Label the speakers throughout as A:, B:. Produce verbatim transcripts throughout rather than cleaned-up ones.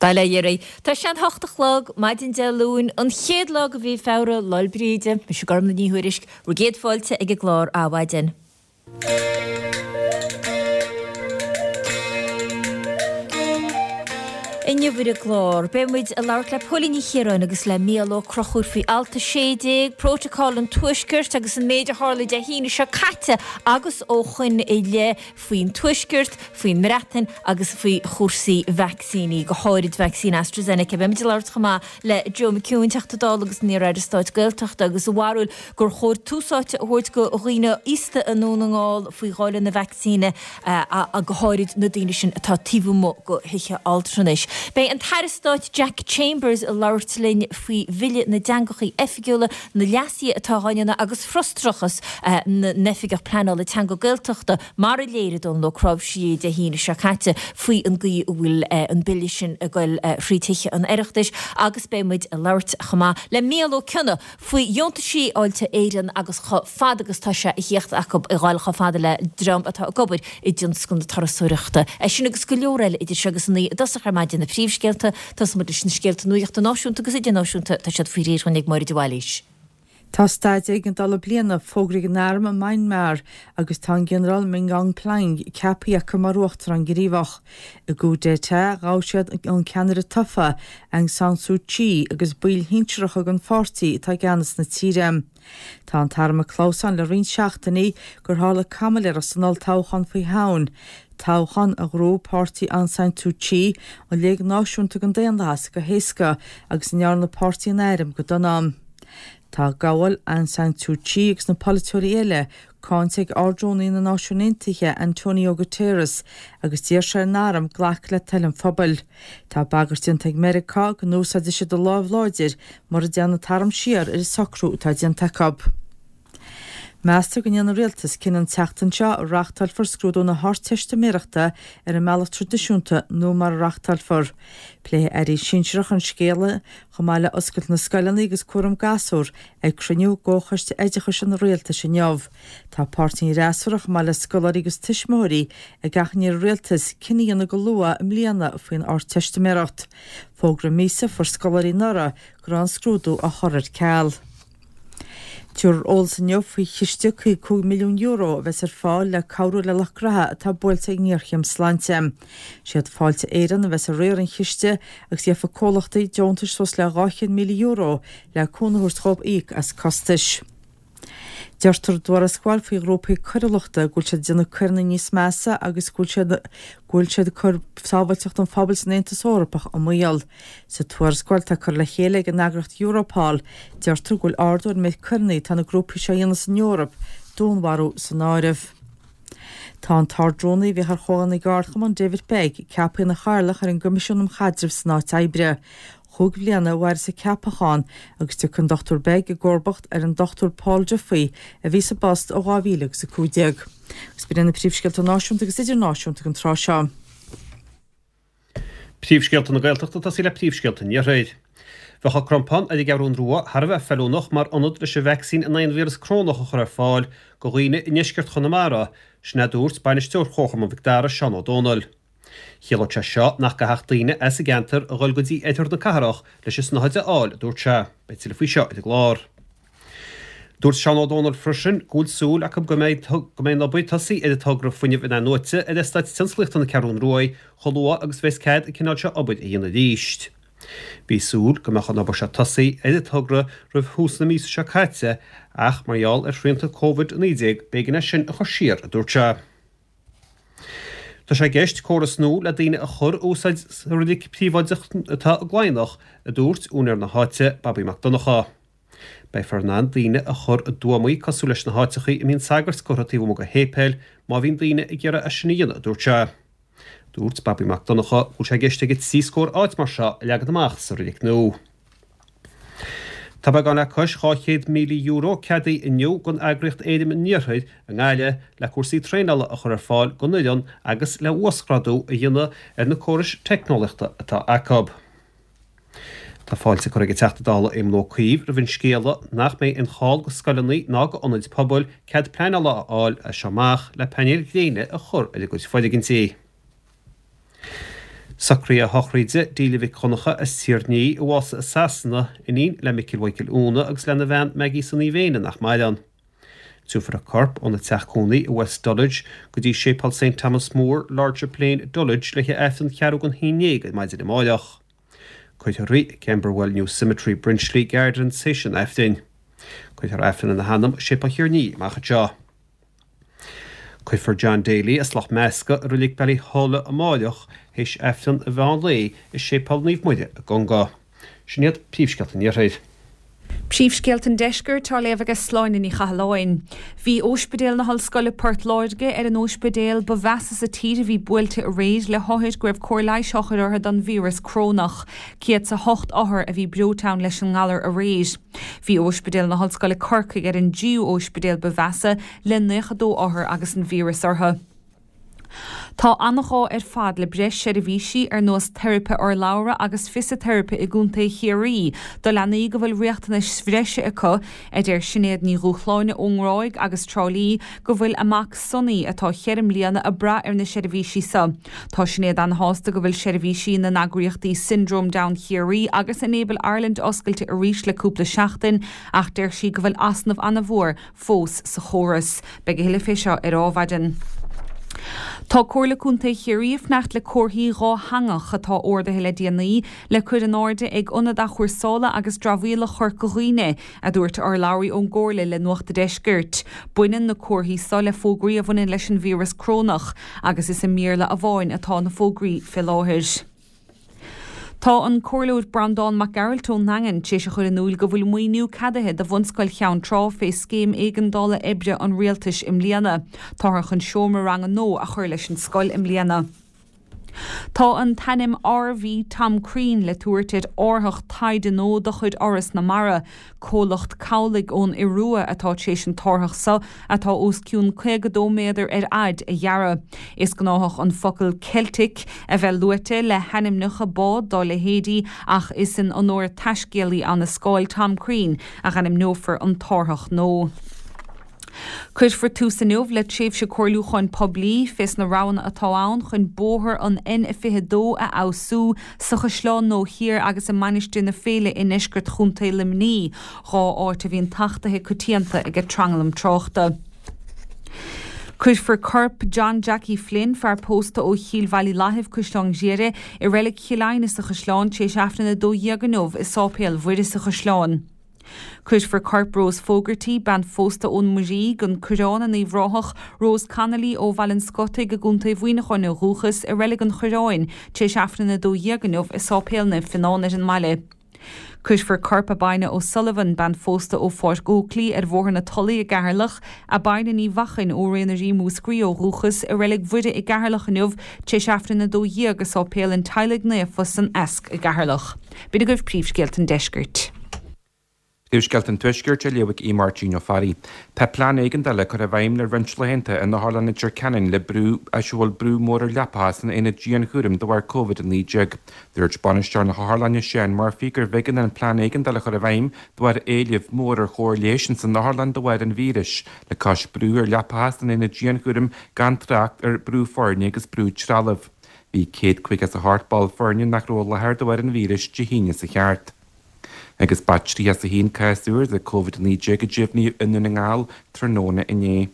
A: Bail ó Dhia oraibh. Tá sé an hocht a chlog, maidin Dé Luain, an chéad lá de mhí Feabhra, Lá 'le Bríde. Mise Gormlaith Ní Thuairisg, bhur gcéad fáilte ag an gclár Adhmhaidin. Inniu ar an gclár, beidh muid ag labhairt le Póilín Ní Chiaráin agus le Mícheál Ó Conchúir faoi Alt a sé déag, Prótacál an Tuaiscirt agus an méid a tharla Dé hAoine seo caite agus ó shoin i leith faoin Tuaisceart, faoin mBreatain agus faoi chúrsaí vacsaíní, go háirid vacsaín AstraZeneca. Beidh muid ag labhairt chomh maith le Joe McHugh, Teachta Dála agus an iar-Aire Stáit Gaeltachta, agus a bharúil gur chóir tús áite a thabhairt do dhaoine aosta i nDún na nGall faoi dháileadh na vacsaíne, go háirid na daoine sin atá taobh amuigh de thithe altranais. Beidh an tAire Stáit Jack Chambers ag labhairt linn faoi Bhille na dTeangachaí Oifigiúla, na leasuithe atá á ndéanamh agus frustrachas na n-oifigeach pleanála teanga Gaeltachta mar a léirigh Dónal Ó Cnáimhsí Dé hAoine seo caite faoi an gcaoi a bhfuil an bille sin ag goil thrí Tithe an Oireachtais agus beidh muid ag labhairt chomh maith le Mícheál Ó Cionnaith faoi dheontaisí Fháilte Éireann agus chomh fada agus tá sé a thíocht acu a ghabháil chomh fada le dream atá ag obair i dtionscal na turasóireachta. É sin agus go leor eile idir seo agus a naoi i dtosach ar maidin na príomhscéalta. Tosóidh muid leis na scéalta nuachta náisiúnta agus idirnáisiúnta, tá siad faoi réir dhúinn ag Máire de Bhailís.
B: Tá staid éigeandála bliana fógraithe ag an arm i Maenmar agus tá an Ginearál Min Aung Hlaing ceaptha acu mar uachtarán gníomhach. I gcoup d'état, ghabh siad an ceannaire tofa, Aung San Suu Kyi, agus baill shinsearacha den pháirtí atá i gceannas na tíre. Tá an t-arm ag clamhsán le roinnt seachtainí gur tharla caimiléireacht san olltoghchán faoi Shamhain, toghchán a ghnóthaigh páirtí Aung San Suu Kyi, an Léig Náisiúnta don Daonlathas, go héasca agus a ndearna páirtí an airm go dona. Tá gabháil Aung San Suu Kyi agus na polaiteoirí eile cáinte ag Ard-Rúnaí na Náisiún Aontaithe, Antonio Guterres, agus d'iarr sé ar an arm glacadh le toil an phobail. Tá bagairt déanta ag Meiriceá go n-úsáidfidh siad a lámh láidir mura dtéann an t-arm siar ar an socrú atá déanta acu. Meastar go ndéanfaidh an Rialtas cinneadh an tseachtain seo an reáchtálfar scrúdú na hArdteistiméireachta ar an mbealach traidisiúnta nó mara reáchtálfar. Pléifidh airí sinsearacha an scéal, chomh maith le oscailt na scoileanna agus cúram gasúr, ag cruinniú gComhchoiste Oideachais an Rialtais inniu. Tá páirtithe an fhreasúra, chomh maith le scoláirí agus tuismitheoirí, ag achainí ar an Rialtas cinneadh a dhéanamh go luath i mbliana faoin Ardteistiméireacht. Fógra míosa a fuair scoláirí anuraidh go raibh an scrúdú á chur ar ceal. Tabharfar eolas inniu faoi chiste caoga cúig milliún euro a bheas ar fáil le cabhrú le lucht graithe atá buailte ag ngéarchéim sláinte. Siad Fáilte Éireann a bheas ag riar an chiste agus gheobhaidh comhlachtaí deontais suas le dhá chéad míle euro le cúnamh a thabhairt dhóibh íoc as costais. Deirtear i dtuarascáil faoi ghrúpaí coiriúlachta go bhfuil siad ag déanamh coireanna níos measa agus go bhfuil siad go bhfuil siad ag cur sábháilteacht an phobail san Aontas Eorpach i mbaol. Sa tuarascáil atá curtha le chéile ag an eagraíocht Europol, deirtear go bhfuil ardú ar an méid coireanna atá na grúpaí seo a dhéanamh san Eoraip, dúnmharú san áireamh. Tá an tArd-Rúnaí a bhíodh ar Chomhdháil na gCeardchumann, David Begg, ceaptha ina chathaoirleach ar an gCoimisiún um Chaidreamh san Áit Oibre. Chúig bhliana a mhairfeas a ceapachán agus tiocfaidh an Dochtúir Begg i gcomharbacht ar an Dochtúir Paul Duffy a bhí sa bpost ó dhá mhíle agus a cúig déag. Agus b'in iad na príomhscéalta náisiúnta agus idirnáisiúnta ag an tráth seo.
C: Príomhscéalta na Gaeltachta ag tosaí le príomhscéalta an Iarthair. Bheadh an Crompán ar an gCeathrú Rua thar a bheith feiliúnach mar ionad leis an vacsaín in aghaidh an víreas corónach a chur ar fáil do dhaoine i ndeisceart Chonamara, sin a dúirt bainisteoir Chomharchumann Mhic Dara, Seán Ó Dónaill. Chiallódh sé seo nach gcaithfeadh daoine as an gceantar a dhul go dtí oirthear na cathrach leis an snáthaid a fháil, a dúirt sé. Beidh tuilleadh faoi seo ar an gclár. Dúirt Seán Ó Dónaill freisin go bhfuil súil acu go mbeidh go mbeidh an obair tosaithe ar an togra fuinneamh in-athnuaite ar Eastát Tionsclaíochta na Ceathrún Ruaidh chomh luath agus bheas cead an cineál seo obair a dhéanamh arís. Bhí súil go mbeadh an obair seo tosaithe ar an togra roimh thús na míosa seo caite ach mar gheall ar shrianta Covid a naoi déag b'éigean é sin a chur siar, a dúirt sé. Tá sé i gceist córas nua le daoine a chur a úsáid sa reilig príobháideach atá i gCladhnach, a dúirt úinéir na háite, Babaí Mac Donncha. Beifear in ann daoine a chur i dtuamaí cosúil leis na háiteachaí a mbíonn sagairt curtha taobh amuigh de shéipéil má bhíonn daoine ag iarraidh é sin a dhéanamh, a dúirt sé. Dúirt Babaí Mac Donncha go bhfuil sé i gceist aige trí scór áit mar seo a leagan amach sa reilig nua. Tá beagán le cois dhá chéad míle euro ceadaithe inniu don eagraíocht Éirim an Iarthair i nGaillimh le cúrsaí traenála a chur ar fáil don fhoireann agus le uasghrádú a dhéanamh ar na córais teicneolaíochta atá acu. Tá fáilte curtha ag an Teachta Dála Éamon Ó Cuív roimh an scéala nach mbeidh aon chall go scoileanna ná go ionaid pobail cead pleanála a fháil as seo amach le painéil ghréine a chur ar a gcuid foirgintí. Socruithe a shochraide Delia Mhic Dhonncha as Tír Ní, a bhásaigh i Sasana, iníon le Micil Mhichael Úna agus lena bhean Maggie Sonaí Mhéine nach maireann. Tabharfar a corp óna teach cónaí i West Dulwich go dtí Séipéal Saint Thomas More, Lordship Lane, Dulwich le haghaidh Aifreann ceathrú don haon déag ar maidin amárach. Cuirfear í i Camberwell New Cemetery, Brenchley Gardens théis an Aifrinn. Cuirfear Aifreann ina hanam i Séipéal Thír Ní amach anseo. Cuirfear John Daly as Loch Measca i Reilig Ballyholland amárach théis Aifreann an mheán lae i Séipéal Naomh Muire i gConga. Sin iad príomhscéalta an Iarthair.
D: Príomhscéalta an Deiscirt á léamh ag Sláine Ní Chathalláin. Bhí Ospidéal na hOllscoile Port Láirge ar an ospidéal ba mheasa sa tír a bhí buailte aréir le hothair go raibh cóir leighis á chur orthu don víreas corónach. Céad is a hocht othar a bhí breoite ann leis an ngalar aréir. Bhí Ospidéal na hOllscoile Corcaigh ar an dtríú ospidéal ba mheasa le nócha dó othar agus an víreas orthu. Tá an-ghá ar fad le breis seirbhísí ar nós teiripe urlabhra agus fisiteiripe i gContae Chiarraí do leanaí go bhfuil riachtanais bhreise acu, a deir Sinéad Ní Dhúshláine ón nGráig agus Trá Lí go bhfuil a mac Sonny atá cheithre mbliana ag brath ar na seirbhísí seo. Tá Sinéad an-shásta go bhfuil seirbhísí na n-eagraíochtaí Syndrome Down Chiarraí agus Enable Ireland oscailte arís le cúpla seachtain ach deir sí go bhfuil easnamh an-mhór fós sa chóras. Beidh a thuilleadh fé seo ar Adhmhaidin. Tá Comhairle Contae Chiarraí ag fanacht le comharthaí dátheangach atá ordaithe le déanaí le cur in airde ag Ionad Athchúrsála agus Dramhaíola Chorca Dhuibhne, a dúirt urlabhraí ón gComhairle le Nuacht an Deiscirt. Baineann na comharthaí seo le fógraí a bhaineann leis an víreas corónach agus is i mBéarla amháin atá na fógraí fé láthair. Tá an Comhairleoir Breandán Mac Gearailt ón nDaingean tar éis a chur in iúl go bhfuil maoiniú ceadaithe do Bhunscoil Cheann Trá fé scéim éigeandála oibre an rialtais i mbliana. Táthar chun seomra ranga nua a chur leis an scoil i mbliana. Tá an t-ainm R V Tom Crean le tabhairt ar árthach taighde nua de chuid Fhoras na Mara. Comhlacht cabhlaigh ón Iorua atá tar éis an t-árthach seo, atá os cionn caoga dó méadar ar fhaid, a dhearadh. Is gnáthach an focal Celtic a bheith luaite le hainmneacha bád dá leithéidí ach is in onóir taiscéalaí Annascáil, Tom Crean, a ainmneofar an t-árthach nua. Cuirfear tús inniu le tréimhse comhairliúcháin poiblí fés na roghanna atá ann chun bóthar an N fiche dó a fheabhsú sa Chaisleán Nua Thiar agus i Mainistir na Féile i ndeisceart Chontae Luimnigh, dhá áit a bhíonn tachtaithe coitianta ag tranglam tráchta. Cuirfear corp John Jackie Flynn, fear pósta ó Chill Bhaile Lathaimh, Caisleán Ghriaire, i Reilig Chill Aidhne sa Chaisleán tar éis Aifreann a dó dhéag inniu i Sáipéal Mhuire sa Chaisleán. Cuirfear corp Rose Fogarty, bean phósta ón Muirígh, an Coireán in Uíbh Ráthach, Rose Connolly ó Bhaile an Scotaigh i gContae Mhuineacháin ó dhúchas, i Reilig an Choireáin tar éis Aifreann a dó dhéag inniu i Sáipéal Naomh Fionán ar an mbaile. Cuirfear corp Abina O'Sullivan, bean phósta ó Pháirc Oakley ar Bhóthar na Tulaí i gCeatharlach, Abina Ní Mhachain ó Ré na Rí Múscraí ó dhúchas, i Reilig Mhuire i gCeatharlach inniu tar éis Aifreann a dó dhéag i Sáipéal an Teaghlaigh Naofa san Easc i gCeatharlach. B'in agaibh príomhscéalta an deiscirt.
E: Príomhscéalta an Tuaiscirt á léamh ag Aodh Máirtín Ó Fearraigh. Tá plean éigeandála curtha i bhfeidhm le roinnt laethanta in Otharlann Leitir Ceanainn le brú a bhfuil brú mór ar leapacha san aonad dianchúraim de bharr Covid a naoi déag. Dúirt bainisteoir na hotharlainne Seán Murphy gurbh éigean an plean éigeandála a chur i bhfeidhm de bharr éileamh mór ar chóir leighis ins an otharlann de bharr an víris, le cois brú ar leapacha san aonad dianchúraim gan trácht ar brú foirne agus brú trealaimh. Bhí céad caoga is a hocht ball foirne nach raibh i láthair de bharr an víris Dé hAoine sa cheart. Agus ba tríocha is a haon cás úr de Covid a naoi déag a deimhníodh i nDún na nGall tráthnóna inné.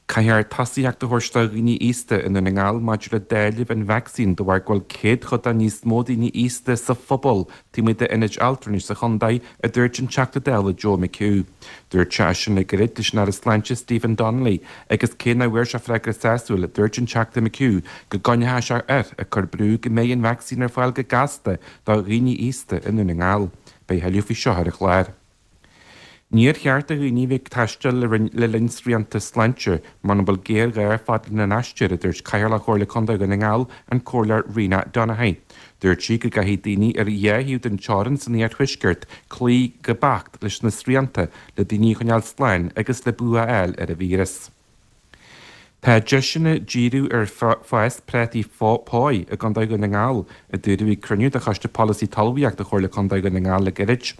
E: Caithfear tosaíocht a thabhairt do dhaoine aosta i nDún na nGall maidir le dáileamh an vacsaín de bharr go bhfuil céadchodán níos mó daoine aosta sa phobal taobh amuigh d'ionaid altranais sa chontae, a dúirt an Teachta Dála Joe McHugh. Dúirt sé é sin le gairid leis an Aire Sláinte Stephen Donnelly agus cé nach bhfuair sé freagra sásúil, dúirt an Teachta McHugh go gcoinneoidh sé air ag cur brú go mbeidh an vacsaín ar fáil go gasta do dhaoine aosta i nDún na nGall. Beidh a thuilleadh faoi seo ar an chlár. Níor cheart do dhaoine a bheith ag taisteal le linn srianta sláinte mura bhfuil géarghá fad lena n-aistear, a dúirt Cathaoirleach Chomhairle Contae Dhún na nGall, an Comhairleoir Rena Donaghey. Dúirt sí go gcaithfidh daoine ar dhá thaobh den teorainn san iarthuaisceart cloí go beacht leis na srianta le daoine a choinneáil slán agus le bua a fháil ar an víreas. Tá deiseanna díriú ar fhás prátaí póigh i gContae Dhún na nGall, a dúradh ag cruinniú de Choiste Polasaí Talmhaíochta Chomhairle Contae Dhún na nGall le gairid.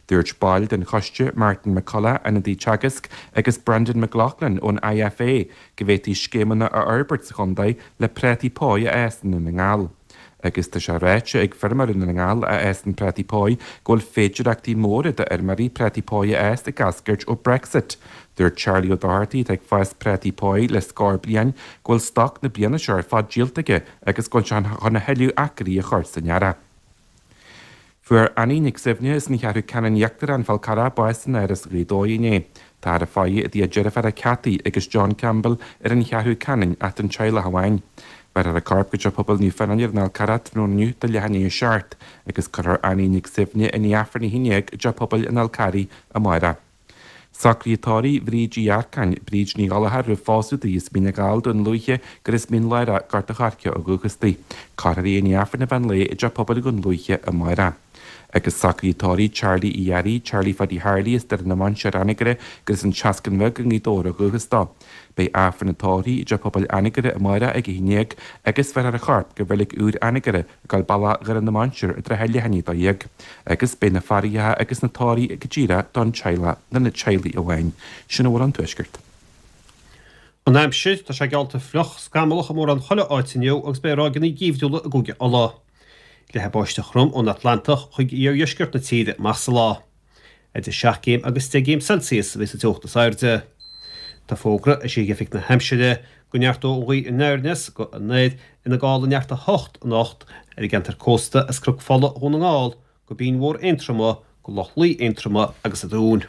E: Dúirt baill den choiste, Martin McCullough, ionadaí Teagasc, agus Brendan McLaughlin ón I F A go bhféadfaí scéimeanna a fhorbairt sa chontae le prátaí póigh a fhás i nDún na nGall. Agus tá sé ráite ag feirmeoirí na nGall a fhásann prátaí páí go bhfuil féidearthachtaí móra d'fheirmeoirí prátaí páí a fhás ag eascairt ó Brexit. Dúirt Charlie O'Doherty atá ag fás prátaí páí le scór bliain go bhfuil stoc na bliana seo ar fad díolta aige agus go bhfuil sé chun a thuilleadh acraí a chur san earrach. Fuair Annie Nic Suibhne as an Cheathrú Ceanainn Íochtarach An Fál Carrach bás in Áras Ghaoth Dobhair inné. Táthar á faire i dtigh a deirféar Cathy agus John Campbell ar an Cheathrú Ceanainn ach don teaghlach amháin. Bhéarfar a corp go Teach Pobail Naomh Fionán ar an Fhál Carrach tráthnóna inniu do leath i ndiaidh a seacht agus cuirfear Annie Nic Suibhne i ndiaidh Aifreann a haon déag i dTeach Pobail an Fhál Carraigh amárach. Socruithe tórraimh Bhríd Uí Earcáin, Bríd Ní Ghallchóir roimh phósadh di as Mín na nGall, Dún Lúiche, gur as Mín Lárach, Gort a' Choirce ó dhúchas di. Cuirfear í i ndiaidh Aifreann an mheán lae i dTeach Pobail Dhún Lúiche amárach. Agus socruithe tórraimh Charlie Uí Fhearraigh, Charlie Phaddy Harley as Doire na Mainséar Anagaire gur as an tSeascann Bheag i nGaoth Dobhair ó dhúchas dó. Beidh Aifreann an tórraimh i dTeach Pobail Anagaire amárach ag a haon déag agus bhéarfar a chorp go Reilig Úr Anagaire ag gabháil bealach Dhoire na Mainséar i dtrátha leath i ndiaidh a dó dhéag. Agus beidh na faireacha agus na tórraimh go díreach don teaghlach, do na teaghlaigh amháin. Sin a bhfuil ón Tuaisceart.
C: An aimsir, tá sé geallta fliuch, scamallach i mórán chuile áit inniu agus beidh ráigeanna geimhriúla i gCúige Uladh. Leathfaidh báisteach throm ón Atlantach chuig iardheisceart na tíre amach sa lá. Idir seacht gcéim agus deich gcéim Celsius a bheidh sa teocht is airde. Tá fógra eisithe ag Oifig na hAimsire go neartóidh an ghaoth anoir aneas go anoir ina gála neart a hocht anocht ar an gceantar cósta as Cnoc Fola Dhún na nGall go Binn Mhór Aontroma go Loch Lao Aontroma agus an Dún.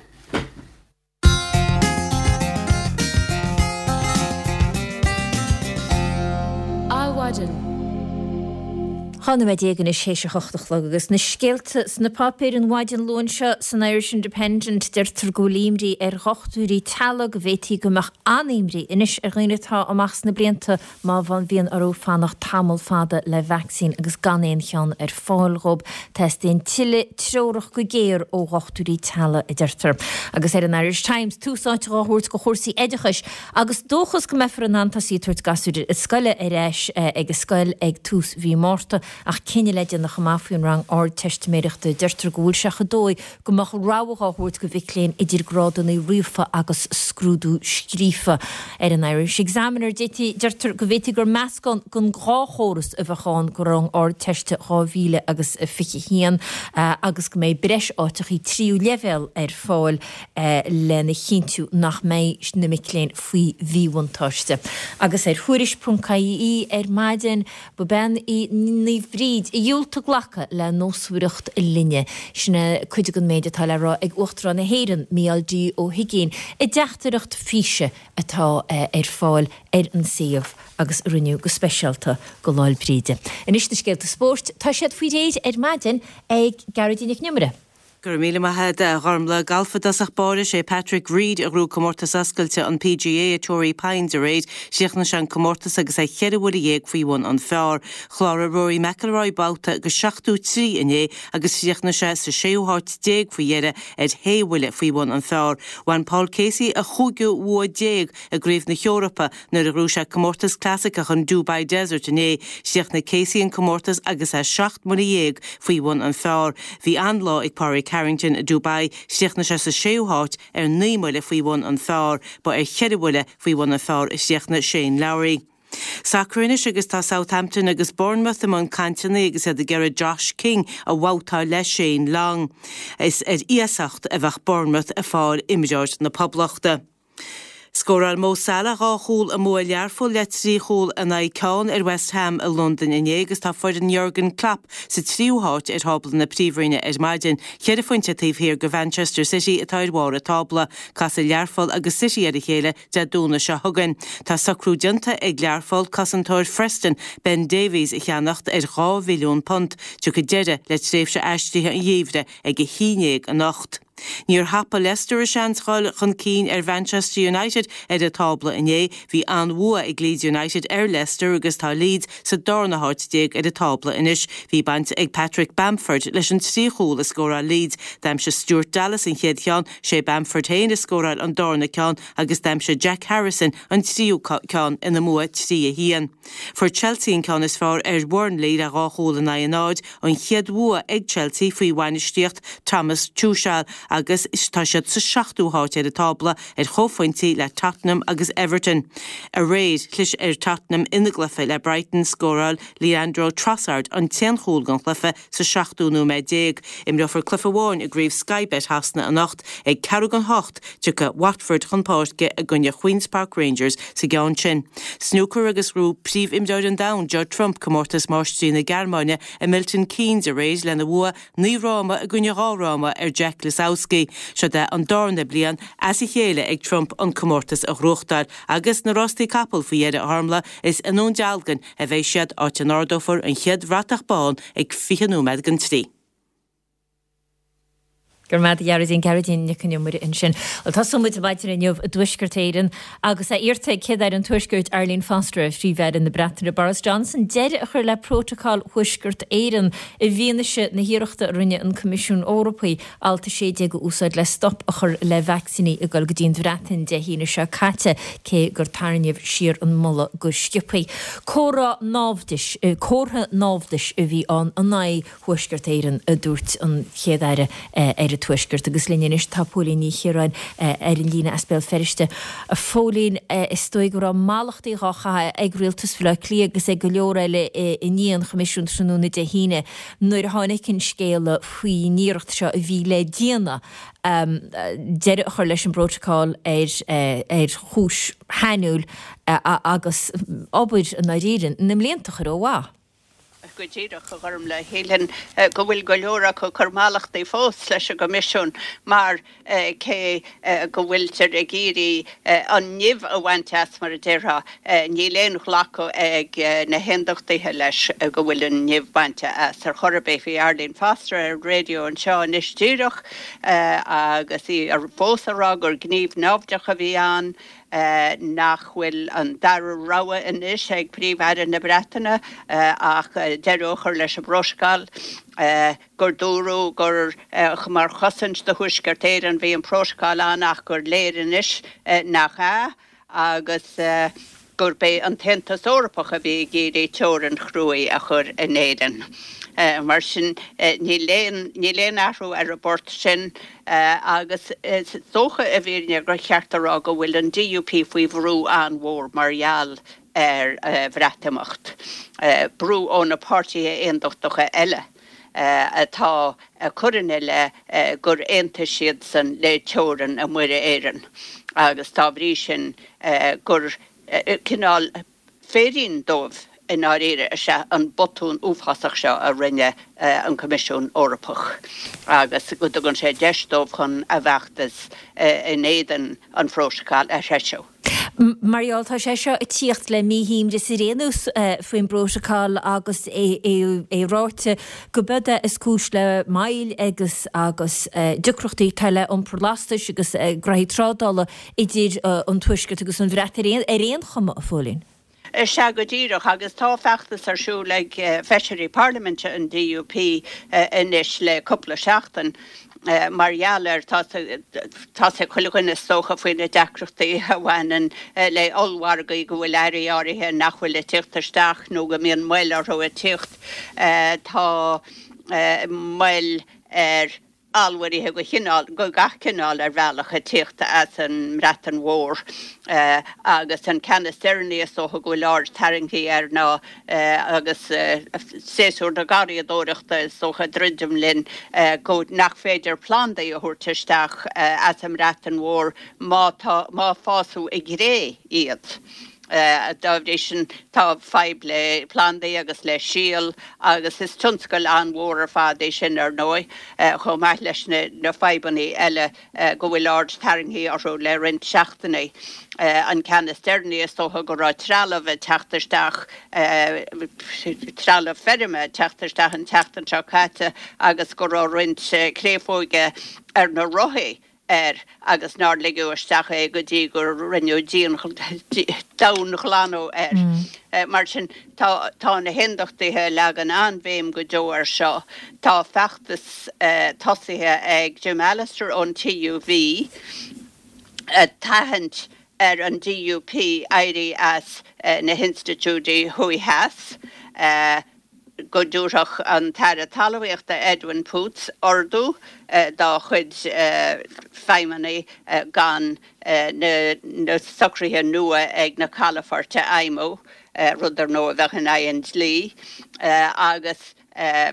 A: Adhmhaidin. Dhá nóiméad déag anois théis a hocht a chlog agus na scéalta sna páipéir an mhaidin Luain seo san Irish Independent deirtear go bhfuil imní ar dhochtúirí teaghlaigh go bhféadfaí go mbeadh an-imní anois ar dhaoine atá amach sna blianta má bhíonn orthu fanacht tamall fada le vacsaín agus gan aon cheann ar fáil dhóibh. Teastaíonn tuilleadh treorach go géar ó dhochtúirí teaghlaigh, a deirtear. Agus ar an Irish Times tús áite dhá thabhairt go chúrsaí oideachais agus dóchas go mbeifear in ann tosaí ag tabhairt gasúir scoile ar ais ag an scoil ag tús mhí Márta. Ach cinneadh le déanamh chomh maith faoin rang Ardteistiméireachta. Deirtear go bhfuil sé chomh dóigh go mbeadh rogha dhá thabhairt go mhic léinn idir grádanna ríofa agus scrúdú scríofa. Ar an Irish Examiner deirtear go bhféadfaí gur meascán den dhá chóras a bheadh ann go rang Ardteiste dhá mhíle agus fiche haon agus go mbeidh breis áiteachaí tríú leibhéal ar fáil lena chinntiú nach mbeidh na mic léinn faoi mhíbhuntáiste. Agus ar Thuairisc ponc ie ar maidin, ba bean í Naomh Bríd a dhiúltaigh glacadh le nósmhaireacht linne. Sin é cuid den méid atá le rá ag Uachtarán na hÉireann, Mícheál D. Ó hUigínn, i dteachtaireacht físe atá ar fáil ar an suíomh agus a rinneadh go speisialta go Lá'l Bríde. Anois na scéalta spóirt, tá siad faoi réir ar maidin ag Gearóidín Nic an Iomaire.
F: Go raibh míle maith agat, a Ghormlaith. Galf i dtosach báire, sé Patrick Reed a ghnóthaigh comórtas oscailte an PGA i Torrey Pines aréir. Chríochnaigh sé an comórtas agus é cheithre bhuille dhéag faoi bhun an phar. Chláraigh Rory McIlroy babhta go seachtó trí inné agus chríochnaigh sé sa séú háit déag faoi dheireadh ar shé bhuille faoi bhun an phar. Bhain Paul Casey a chúigiú bhua déag i gCraobh na hEorpa nuair a ghnóthaigh sé comórtas clasaiceach an Dubai Desert inné. Chríochnaigh Casey an comórtas agus é seacht mbuille dhéag faoi bhun an phar. Bhí an-lá ag Pádraig Harrington i Dubai, chríochnaigh sé sa séú háit ar naoi mbuille faoi bhun an phar. Ba ar cheithre bhuille faoi bhun an phar a chríochnaigh Shane Lowry. Sacar anois agus tá Southampton agus Bournemouth i mbun cainteanna agus iad ag iarraidh Josh King a bhabhtáil le Shane Long. Is ar iasacht a bheadh Bournemouth ag fáil imreoir na Poblachta. Scóráil Mo Salah dhá chúl i mbua Learpholl le trí chúl in aghaidh ceann ar West Ham i Londain inné agus tá foireann Jurgen Klopp sa tríú háit ar thábla na Príomhroinne ar maidin, ceithre phointe taobh thiar de Mhanchester City atá ar bharr an tábla. Casfaidh Learpholl agus City ar a chéile Dé Domhnaigh seo chugainn. Tá socrú déanta ag Learpholl cosantóir Phreston, Ben Davies a cheannacht ar dhá mhilliún punt. Tiocfaidh deireadh le tréimhse aistrithe an gheimhridh ag a haon déag anocht. Níor thapaigh Leicester a seans dhul chun cinn ar Mhanchester United ar an tábla inné. Bhí an-bhua ag Leeds United ar Leicester agus tá Leeds sa darna háit déag ar an tábla anois. Bhí baint ag Patrick Bamford leis an trí chúl a scóráil Leeds. D'aimsigh Stuart Dallas an chéad cheann, sé Bamford féin a scóráil an darna ceann agus d'aimsigh Jack Harrison an tríú ceann ina mbua trí a haon. Fuair Chelsea an ceann is fearr ar Bhurnley le dhá chúl in aghaidh a náid, an chéad bhua ag Chelsea faoi bhainistíocht Thomas Tuchel agus tá siad sa seachtú háit ar an tábla ar chomhphointí le Tottenham agus Everton. Aréir chlis ar Tottenham ina gcluiche le Brighton scóráil Leandro Trossard an t-aon chúl den chluiche sa seachtú nóiméad déag. Imreofar cluiche amháin i gcraobh Sky Bet Shasana anocht ag ceathrú don hocht tiocfaidh Watford chun páirce i gcoinne Queen's Park Rangers sa gceann sin. Snúcar agus ghnóthaigh príomhimreoir an domhain Judd Trump comórtas máistrí na Gearmáine i Milton Keynes aréir lena bhua naoi fhráma i gcoinne dhá fhráma ar Jack Lisowski. Seo é an darna bliain as a chéile ag Trump an comórtas a ghnóthachtáil agus na rástaí capall faoi dheireadh a Ghormfhlaith is i nDún Dealgan a bheidh siad áit a n-ardófar an chéad bhratach bán ag fiche nóiméad don trí.
A: Gur mad Gearóidín Gearóidín Nic an Iomaire ansin. Well tosóidh muid maidin inniu i dTuaisceart Éireann agus é iarrta ag Céad-Aire an Tuaiscirt Arlene Foster Phríomh-Aire na Breataine Boris Johnson deireadh a chur le Prótacal Thuaisceart Éireann i bhfianaise na hiarrachta a rinne an Coimisiún Eorpach Alt a sé déag a úsáid le stop a chur le vacsaíní ag dul go dtí an Bhreatain Dé hAoine seo caite cé gur tarraingíodh siar an moladh go sciobtha. Comhartha naimhdis, comhartha naimhdis a bhí ann in aghaidh Thuaisceart Éireann a dúirt an Chéad-Aire ar an Tuaisceart agus linn anois tá Póilín Ní Chiaráin ar an líne as Béal Feirste. A Phóilín is dóigh go raibh mallachtaí á gcaitheamh ag rialtas Bhaile Átha Cliath agus ag go leor eile i ndiaidh an Choimisiúin tráthnóna Dé hAoine nuair a tháinig an scéala faoin iarracht seo a bhí le déanamh deireadh a chur leis an bprótacal ar ar chúis shainiúil agus obair i ndáiríre na mblianta a chur ó mhaith.
G: Go díreach a Ghormfhlaith, shílfinn go bhfuil go leor acu ag cur mallachtaí fós leis an gCoimisiún mar cé go bhfuiltear ag iarraidh an nimh a bhaint as mar a déarfá, níl aon ghlacadh ag na hAondachtaithe leis go bhfuil an nimh bainte as ar chor ar bith. Bhí Arlene Foster ar an raidió anseo anois díreach agus í fós ag rá gur gníomh naimhdeach a bhí ann. nach bhfuil an dara rogha anois ag Príomh-Aire na Breataine ach deireadh a chur leis an bprótacal, gur dúradh gur mar chosaint do Thuaisceart Éireann bhí an prótacal ann ach gur léir anois nach ea agus gurb é an tAontas Eorpach a bhí ag iarraidh teorainn chruaidh a chur in Éirinn. Mar sin, níl aon, níl aon athrú ar an bport sin agus is dócha i bhfírinne gur cheart a rá go bhfuil an DUP faoi bhrú an-mhór mar gheall ar Bhreatimeacht, brú ó na páirtithe aondachtacha eile atá ag cur ina leith gur aontaigh siadsan le teorainn i Muir Éireann agus dá bhrí sin gur cineál féirín dóibh i ndáiríre is ea an botún uafásach seo a rinne an Coimisiún Eorpach agus go dtugann sé deis dóibh chun a bhfeachtas in éadan an phrótacail a threisiú.
A: Mar gheall, tá sé seo ag tíocht le míshuaimhneas ar aon nós faoin bprótacal agus é ráite go b'é é is cúis le moill agus agus deacrachtaí atá le iompar lastais agus graithí trádála idir an Tuaisceart agus an Bhreatain ar aon chuma, a Phóilín.
G: Sea, go díreach, agus tá feachtas ar siúl ag feisirí parlaiminte an DUP anois le cúpla seachtain mar gheall ar, tá 's ag chuile dhuine is dócha faoi na deacrachtaí a bhaineann le ollmhargaí, go bhfuil earraí áirithe nach bhfuil ag tíocht isteach nó go mbíonn moill orthu ag tíocht. Tá moill ar allmhairithe de chineál, de gach cineál ar bhealach ag tíocht as an mBreatain Mhór agus an ceann is deireanaí is dócha go bhfuil aird tarraingthe air ná agus séasúr na garraíodóireachta is dócha ag druidim linn go nach féidir plandaí a thabhairt isteach as an mBreatain Mhór má tá má fásadh i gcré iad. Dá bhrí sin, tá fadhb le plandaí agus le síol agus is tionscal an-mhór ar fad é sin, ar ndóigh, chomh maith leis na fadhbanna eile go bhfuil aird tarraingthe orthu le roinnt seachtainí. An ceann is deireanaí, is dócha go raibh trealamh ag teacht isteach, trealamh feirme ag teacht isteach an tseachtain seo caite agus go raibh roinnt créafóige ar na rothaí air agus nár ligeadh isteach é go dtí gur rinneadh domhainghlanadh air. Mar sin, tá tá na hAondachtaithe ag leagan an-bhéim go deo air seo. Tá feachtas tosaithe ag Jim Allister ón TUV ag tathant ar an DUP éirí as na hinstitiúidí thuaidh theas. go dtabharfadh an tAire Talmhaíochta Edwin Poots ordú dá chuid feidhmeannaigh gan na socruithe nua ag na calafoirt a fheidhmiú, rud ar ndóigh a bheadh in aghaidh an dlí, agus a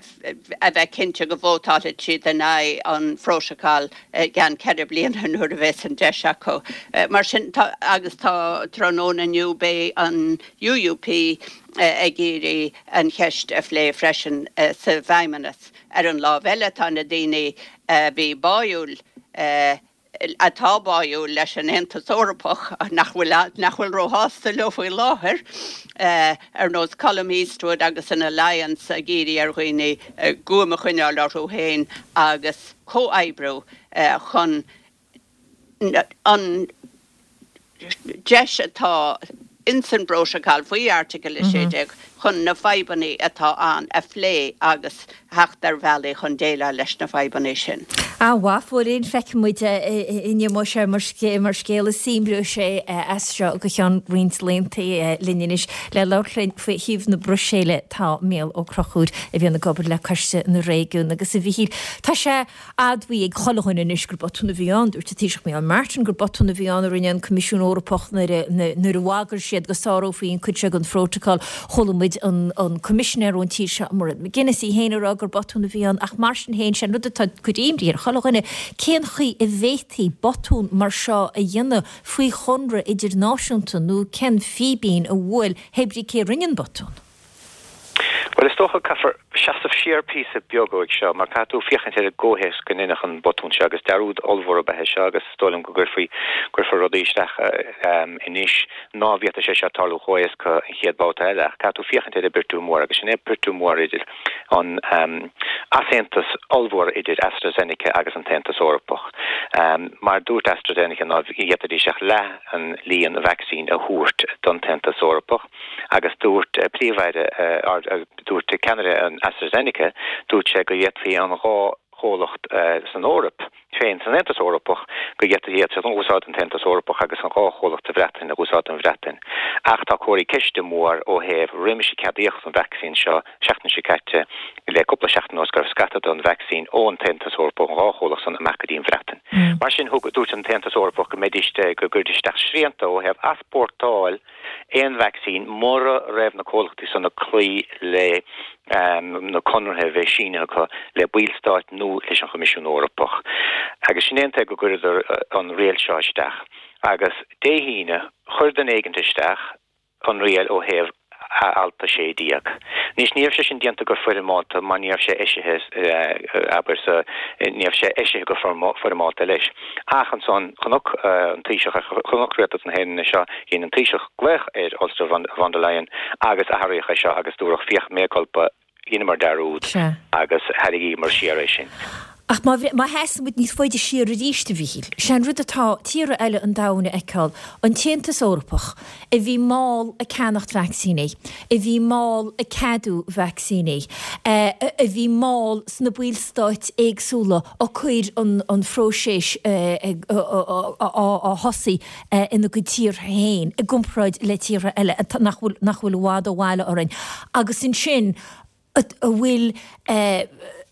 G: bheith cinnte go vótálfaidh siad in aghaidh an phrótacail i gceann ceithre bliana nuair a bheas an deis acu. Mar sin, tá, agus tá tráthnóna inniu beidh an UUP ag iarraidh an cheist a phlé freisin sa bhFeidhmeannas. Ar an lámh eile tá na daoine a bhí báúil, atá báúil leis an Aontas Eorpach, nach bhfuil nach bhfuil róshásta leo faoi láthair, ar nós Colum Eastwood agus an Alliance ag iarraidh ar dhaoine guaim a choinneáil orthu féin agus comhoibriú chun an deis atá ins an bprótacal faoi Airteagal a sé déag chun na fadhbanna atá ann a phlé agus theacht ar bhealaí chun déileáil leis na fadhbanna sin.
A: A mhaith, Phóilín, feicfidh muid an imeoidh sé mar scéal is oibreoidh sé as seo go ceann roinnt laethanta linn anois le labhairt linn faoi thaobh na Bruiséile tá Mícheál Ó Conchúir a bhíonn ag obair le Coiste na Réigiún agus a Mhichíl tá sé admhaithe ag chuile dhuine anois gur botún a bhí ann, dúirt an Taoiseach Micheál Martin gur botún a bhí ann a rinne an Coimisiún Eorpach nuair a bhagair siad go sárófaí an cuid seo den phrótacal. Chuala muid an an Coimisinéir ón tír seo, Mairead McGuinness, í féin ag rá gur botún a bhí ann ach mar sin féin, sé an rud atá ag cur imní ar chuile dhuine, cén chaoi a bhféadfaí botún mar seo a dhéanamh faoi chonradh idirnáisiúnta nó cén fíbín a bhuail hé brí cé a rinne an botún?
H: Bhuel, is dócha caithfear seasamh siar píosa beag uaidh seo, mar caithfidh tú féachaint ar an gcomhthéacs go ndeineadh an botún seo, agus dearúd ollmhór ab ea é seo, agus is dóigh liom go gcuirfí, cuirfear rudaí isteach anois ná bhféadfadh sé seo tarlú chomh héasca an chéad babhta eile. Ach caithfidh tú féachaint ar an bpiortú mór, agus sin é piortú mór idir an easaontas ollmhór idir AstraZeneca agus an tAontas Eorpach. Mar dúirt AstraZeneca ná bhféadfaidís ach leath an líon vacsaín a thabhairt don tAontas Eorpach, Agus dúirt Príomh-Aire, dúirt ceannaire an AstraZeneca, dúirt sé go bhféadfaí an dhá chomhlacht san Eoraip féin, san Aontas Eorpach, go bhféadfaí iad a úsáid an tAontas Eorpach agus an dhá chomhlacht sa Bhreatain a úsáid don Bhreatain. Ach tá comharthaí ceiste mór ó thaobh roimis a ceadaíodh an vacsaín seo seachtain seo caite le cúpla seachtain anuas go raibh scata den vacsaín ón tAontas Eorpach, ón dhá chomhlacht san amach go dtí an Bhreatain. Mar sin thug, dúirt an tAontas Eorpach go mbeidís, go gcuirfidís isteach srianta ó thaobh easpórtáil aon vacsaín mura raibh na comhlachtaí san ag cloí le na conarthaí a bheith sínithe acu le ballstáit nó leis an Choimisiún Eorpach. Agus sin é an tuige go gcuireadar an riail seo isteach. Agus Dé hAoine, chuir duine éigint isteach an riail ó thaobh alt a sé déag. Anois, ní raibh sé sin déanta go foirmeálta mar ní raibh sé eisithe, abair, sa, ní raibh sé eisithe go foirmeálta leis. Ach ansan, chonac an Taoiseach, chonac Rialtas na hÉireann é seo, dhein an Taoiseach glaoch ar Ursula von der Leyen agus athraíodh é seo agus dúradh féach mea culpa, dheineamar dearúd agus tharraingíomar siar é sin.
A: Ach má má sheasann muid níos faide siar arís, a Mhichíl, sé an rud atá tíortha eile an domhain a fheiceáil, an tAontas Eorpach, a bhí mall ag ceannacht vacsaíní, a bhí mall ag ceadú vacsaíní, a bhí mall sna ballstáit éagsúla ag cur an an phróiseas á thosaí ina gcuid tíortha féin i gcomparáid le tíortha eile nach bhfuil nach bhfuil i bhfad ó bhaile orainn. Agus ansin, a bhfuil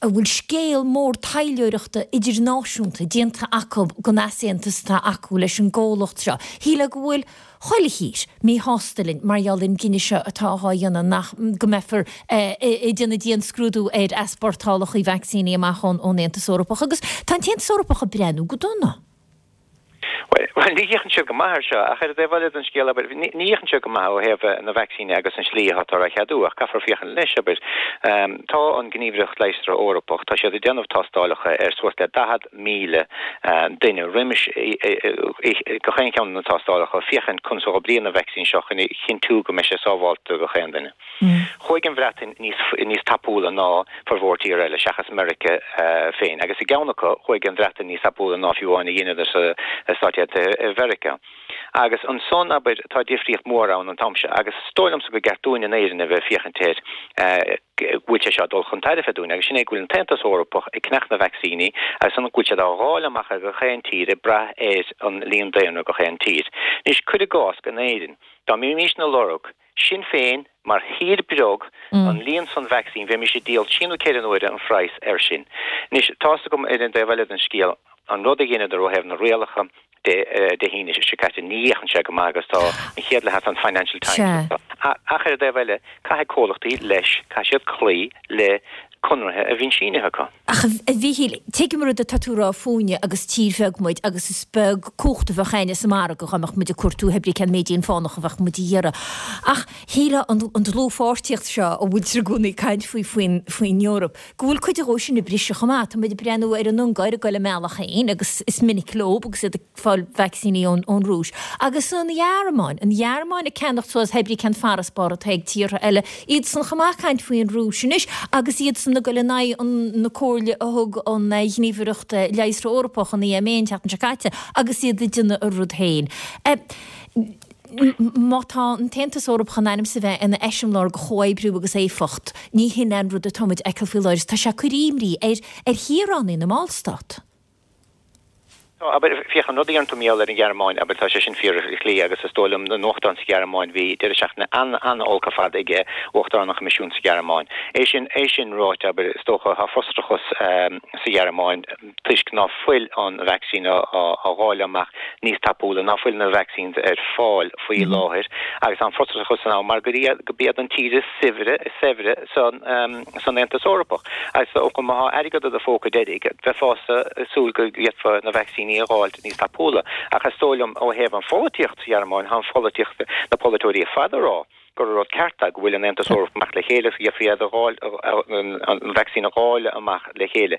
A: a bhfuil scéal mór taidhleoireachta idirnáisiúnta déanta acu den easaontas atá acu leis an gcomhlacht seo. Shílfeá go bhfuil chuile thír míshásta linn mar gheall ar an gcinneadh seo atá á dhéanamh nach go mbeifear ag déanamh dianscrúdú ar easpórtálacha vacsaíní amach ón Aontas Eorpach agus tá an tAontas Eorpach ag breathnú go dona.
H: Bhuel, ní fhéachann siad go maith air seo, ach ar an dtaobh eile den scéal, abair, ní fhéachann siad go maith ó thaobh na vacsaíne agus an slí atáthar á cheadú, ach caithfear féachaint leis, abair. Tá an Gníomhaireacht Leigheasra Eorpach, tá siad ag déanamh tástálacha ar suas le daichead míle duine roimis gach aon cheann de na tástálacha, féachaint conas a oibríonn an vacsaín seo chun a chinntiú go mbeidh sé sábháilte do chaon duine. Chuaigh an Bhreatain níos tapúla ná formhór tíortha eile, seachas Meiriceá féin, agus i gceann acu, chuaigh an Bhreatain níos tapúla ná fiú amháin a dheineadar sa Stáit Aontaithe Mheiriceá. Agus ansan, abair, tá difríocht mhór ann an t-am seo, agus is dóigh liomsa gur ceart dúinn in Éirinn a bheith ag féachaint air go bhfuil sé seo ag dul chun tairbhe dúinn, agus sin é go bhfuil an tAontas Eorpach ag ceannach na vacsaíní agus ansan go bhfuil siad á dháileadh amach ar gach aon tír ag brath ar an líon daonra gach aon tír. Anois, cuir i gcás, in Éirinn, dá mbeimisne ag lorg Sinn féin, mar thír beag, an líon san vacsaín, bheimis ag díol trí nó ceithre n-uaire an phraghas air sin. Anois, tá's agam ar an dtaobh eile den scéal, an rud a dheineadar ó thaobh na rialacha de Dé hAoine seo caite, ní fhéachann sé go maith agus tá an chéad leath an Financial Times ach ar an dtaobh eile, caithfidh comhlachtaí leis, caithfidh siad cloí le conartha a bhíonn sínithe acu.
A: Ach a Mhíchíl, tuigim an rud atá tú a rá fúinne agus tír bheag muid agus is beag cumhacht a bheadh againne sa margadh dá mbeadh muid ag cuartú pé ar bith cén méid fánach a bheadh muid a iarraidh. Ach shílfeá an dlúthpháirtíocht seo a bhfuiltear i gcónaí ag caint faoi faoin Eoraip, go bhfuil cuid dhó sin ag briseadh chomh maith. Tá muid ag breathnú ar an Ungáir ag goil a mbealach féin agus is minic leo agus iad ag fáil vacsaíní ón ón Rúis. Agus an Ghearmáin, an Ghearmáin ag ceannacht suas pé ar bith cén farasbarr atá ag tíortha eile, iadsan chomh maith ag caint faoin Rúis anois agus iadsan ag goil in aghaidh na comhairle a thug an Ghníomhaireacht Leigheasra Eorpach, an EMA, an tseachtain seo caite agus iad ag déanamh a rud féin. Má tá an tAontas Eorpach in ainm is a bheith ina eiseamláir de chomhoibriú agus éifeacht, ní hin an rud atá muid a fheiceáil faoi láthair. Tá sé ag cur imní ar ar shaoránaigh na mballstát.
H: Tá, abair, féach, an rud a deireann tú mar gheall ar an Ghearmáin, abair, tá sé sin fíor ar shlí agus is dóigh liom na nuachtáin sa Ghearmáin, bhí deireadh seachtaine an-an-olc ar fad ag Uachtarán an Choimisiúin sa Ghearmáin. É sin, é sin ráite, abair, is dócha, tá frustrachas sa Ghearmáin toisc ná fuil an vacsaín á dháileadh amach níos tapúla, ná fuil na vaccines ar fáil faoi láthair agus tá an frustrachas ann mar gur iad, gurb iad an tír is saibhre, is saibhre san, san Aontas Eorpach. Agus is dócha má thá airgead i do phóca deiridh, bheifeása ag súil go bhféadfá na vacsaíní a dh'fháilt níos tapúla. Ach is dóigh liom, ó thaobh an pholaitíocht sa Ghearmáin, thá an pholaitíocht, na polaiteoirí ar fad a rá gur rud ceart é go bhfuil an Aontas Eorpach ag imeacht le chéile agus go bhféadfaí iad a dh'fháil, an vacsaín a dháileadh amach le chéile.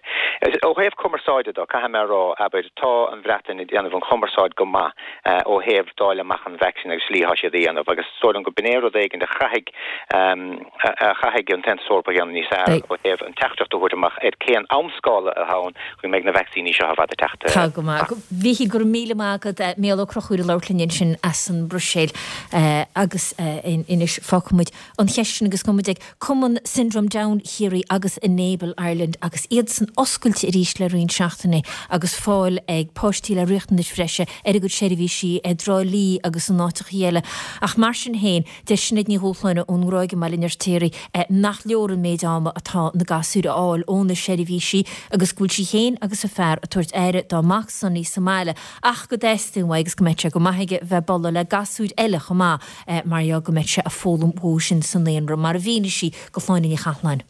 H: Ó thaobh cumarsáide de, caithfidh mé a rá, abair, tá an Bhreatain ag déanamh an chumarsáid go maith ó thaobh dáileadh amach an vacsaín agus slí athá siad a dhéanamh agus is dóigh liom go b'in é rud éigin a chaithfidh, a chaithfidh an tAontas Eorpach a dhéanamh níos fearr ó thaobh an teachtaireacht a thabhairt amach ar cén amscála atá ann go mbeidh na vacsaíní seo ar fad ag teacht.
A: Tá go maith. A Mhíchíl, go raibh míle maith agat. Mícheál Ó Conchúir ag labhairt linn ansin as an mBruiséil. Agus anois fágfaidh muid an cheist sin agus gabhfaidh muid ag Cumann Syndrome Down Chiarraí agus Enable Ireland agus iadsan oscailte arís le roinnt seachtainí agus fáil ag páistí le riachtanais bhreise ar a gcuid seirbhísí i dTrá Lí agus in áiteachaí eile. Ach mar sin féin, deir Sinéad Ní Dhúshláine ón nGráig i mBaile an Fheirtéaraigh nach leor an méid ama atá na gasúir a fháil ó na seirbhísí agus go bhfuil sí féin agus a fear ag tabhairt aire dá mac Sonny sa mbaile ach go dteastaíonn uaidh agus go mbeadh sé go maith aige bheith ag bualadh le gasúir eile chomh maith mar gheall go mbeadh sé ag foghlaim uathu sin sa naíonra mar a mhínigh sí do Shláine Ní Chathalláin.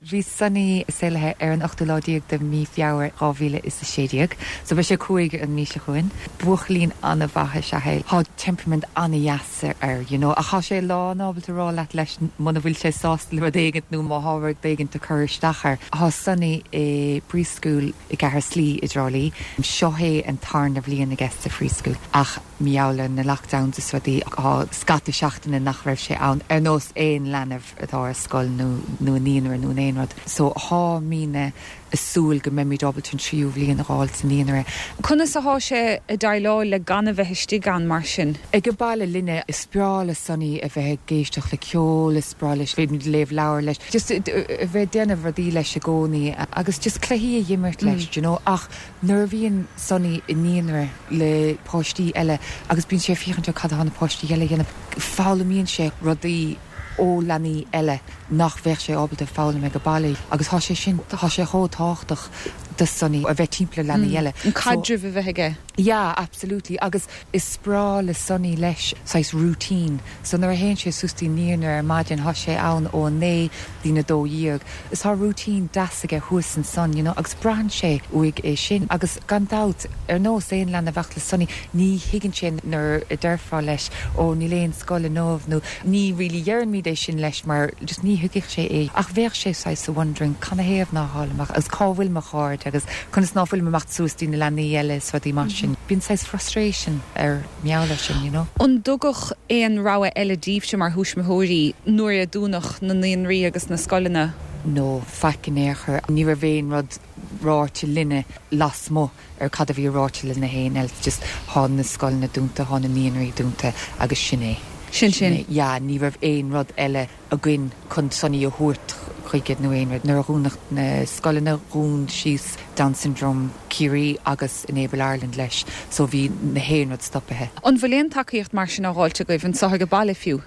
I: Bhí Sonny saolaithe ar an ochtú lá déag de mhí Feabhra dhá mhíle is a sé déag, so beidh sé cúig an mhí seo chugainn. Buachaillín an-mhaith is ea é. Tá temperament an-dheas air, you know, ach tá sé lán ábalta rá leat leis muna bhfuil sé sásta le rud éigint nó má tá rud éigint ag cur isteach air. Tá Sonny i preschool i gCeathair Slí i dTrá Lí. Seo é an tarna bhliain aige sa preschool ach mar gheall ar na lockdowns is rudaí tá scata seachtaine nach raibh sé ann ar nós aon leanbh atá ar scoil nó nó i naíonra nó in aon rud. So táimidne ag súil go mbeimid ábalta an tríú bhliain a fháil sa naíonra.
D: Conas athá sé ag déileáil le gan a bheith istigh ann mar sin?
I: Ag an baile linne, is breá le Sonny a bheith ag éisteacht le ceol, is breá leis bheith ag léamh leabhar leis, just a bheith ag déanamh rudaí leis i gcónaí agus just cluichí a dh'imirt leis, do you know. Ach nuair a bhíonn Sonny i naíonra le páistí eile agus bíonn sé ag féachaint ar cad atá na páistí eile a dhéanamh, foghlaimíonn sé rudaí ó leanaí eile nach bheadh sé ábalta foghlaim ag an baile agus tá sé sin, tá sé chomh tábhachtach do Sonny a bheith timpeall ar leanaí eile.
D: An caidreamh a bheith aige.
I: Yeah, absolutely agus is breá le Sonny leis saghas routine so nuair a théann sé suas dtí an naíonra ar maidin tá sé ann ó a naoi dtí'n a dó dhéag is tá routine deas aige thuas ansan you know agus braitheann sé uaidh é sin agus gan dabht ar nós aon leanbh ach le Sonny ní thuigeann sé nuair a déarfá leis ó níl aon scoil inniu nó ní really deirimid é sin leis mar just ní thuigfeadh sé é ach bheadh sé saghas wondering canathaobh ná tháim amach agus cá bhfuil mo chairde agus conas ná fuilim ag imeacht suas dtí na leanaí eile is rudaí mar sin. Bíonn saghas frustration air mar gheall air sin, you know.
D: An dtugadh aon rogha eile daoibhse mar thuismitheoirí nuair a dúnadh na naíonraí agus na scoileanna?
I: No, faic in aon chor. Ní raibh aon rud ráite linne lasmuigh ar cad a bhí ráite le na haon eile, just thá na scoileanna dúnta, thá na naíonraí dúnta agus sin é.
D: Sin sin.
I: Yeah, ní raibh aon rud eile againn chun Sonny a thabhairt chuige nó aon rud. Nuair a dhúnadh na scoileanna, dhún síos Down Syndrome Ciarraí agus Enable Ireland leis, so bhí na haon rud stopaithe.
D: An bhfuil aon tacaíocht mar sin á dháilt agaibh anseo ag an baile fiú?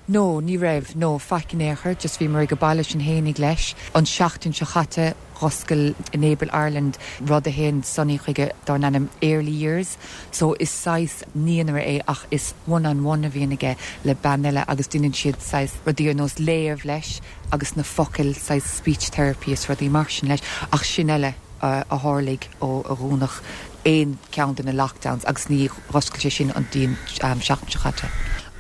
I: No, ní raibh, no, faic in aon chor, just bhíomar ag baile sinn fhéinig leis. An seachtain seo chaite dh'oscail Enable Ireland rud a théann Sonny chuige dar ainm Early Years, so is saghas naíonra é ach is one on one a bhíonn aige le bean eile agus déanann siad saghas rudaí ar nós léamh leis agus na focail saghas speech therapy is rudaí mar sin leis ach sin eile a tharlaigh ó a dhúnadh aon ceann de na lockdowns agus ní dh'oscail sé sin go dtí an seachtain seo chaite.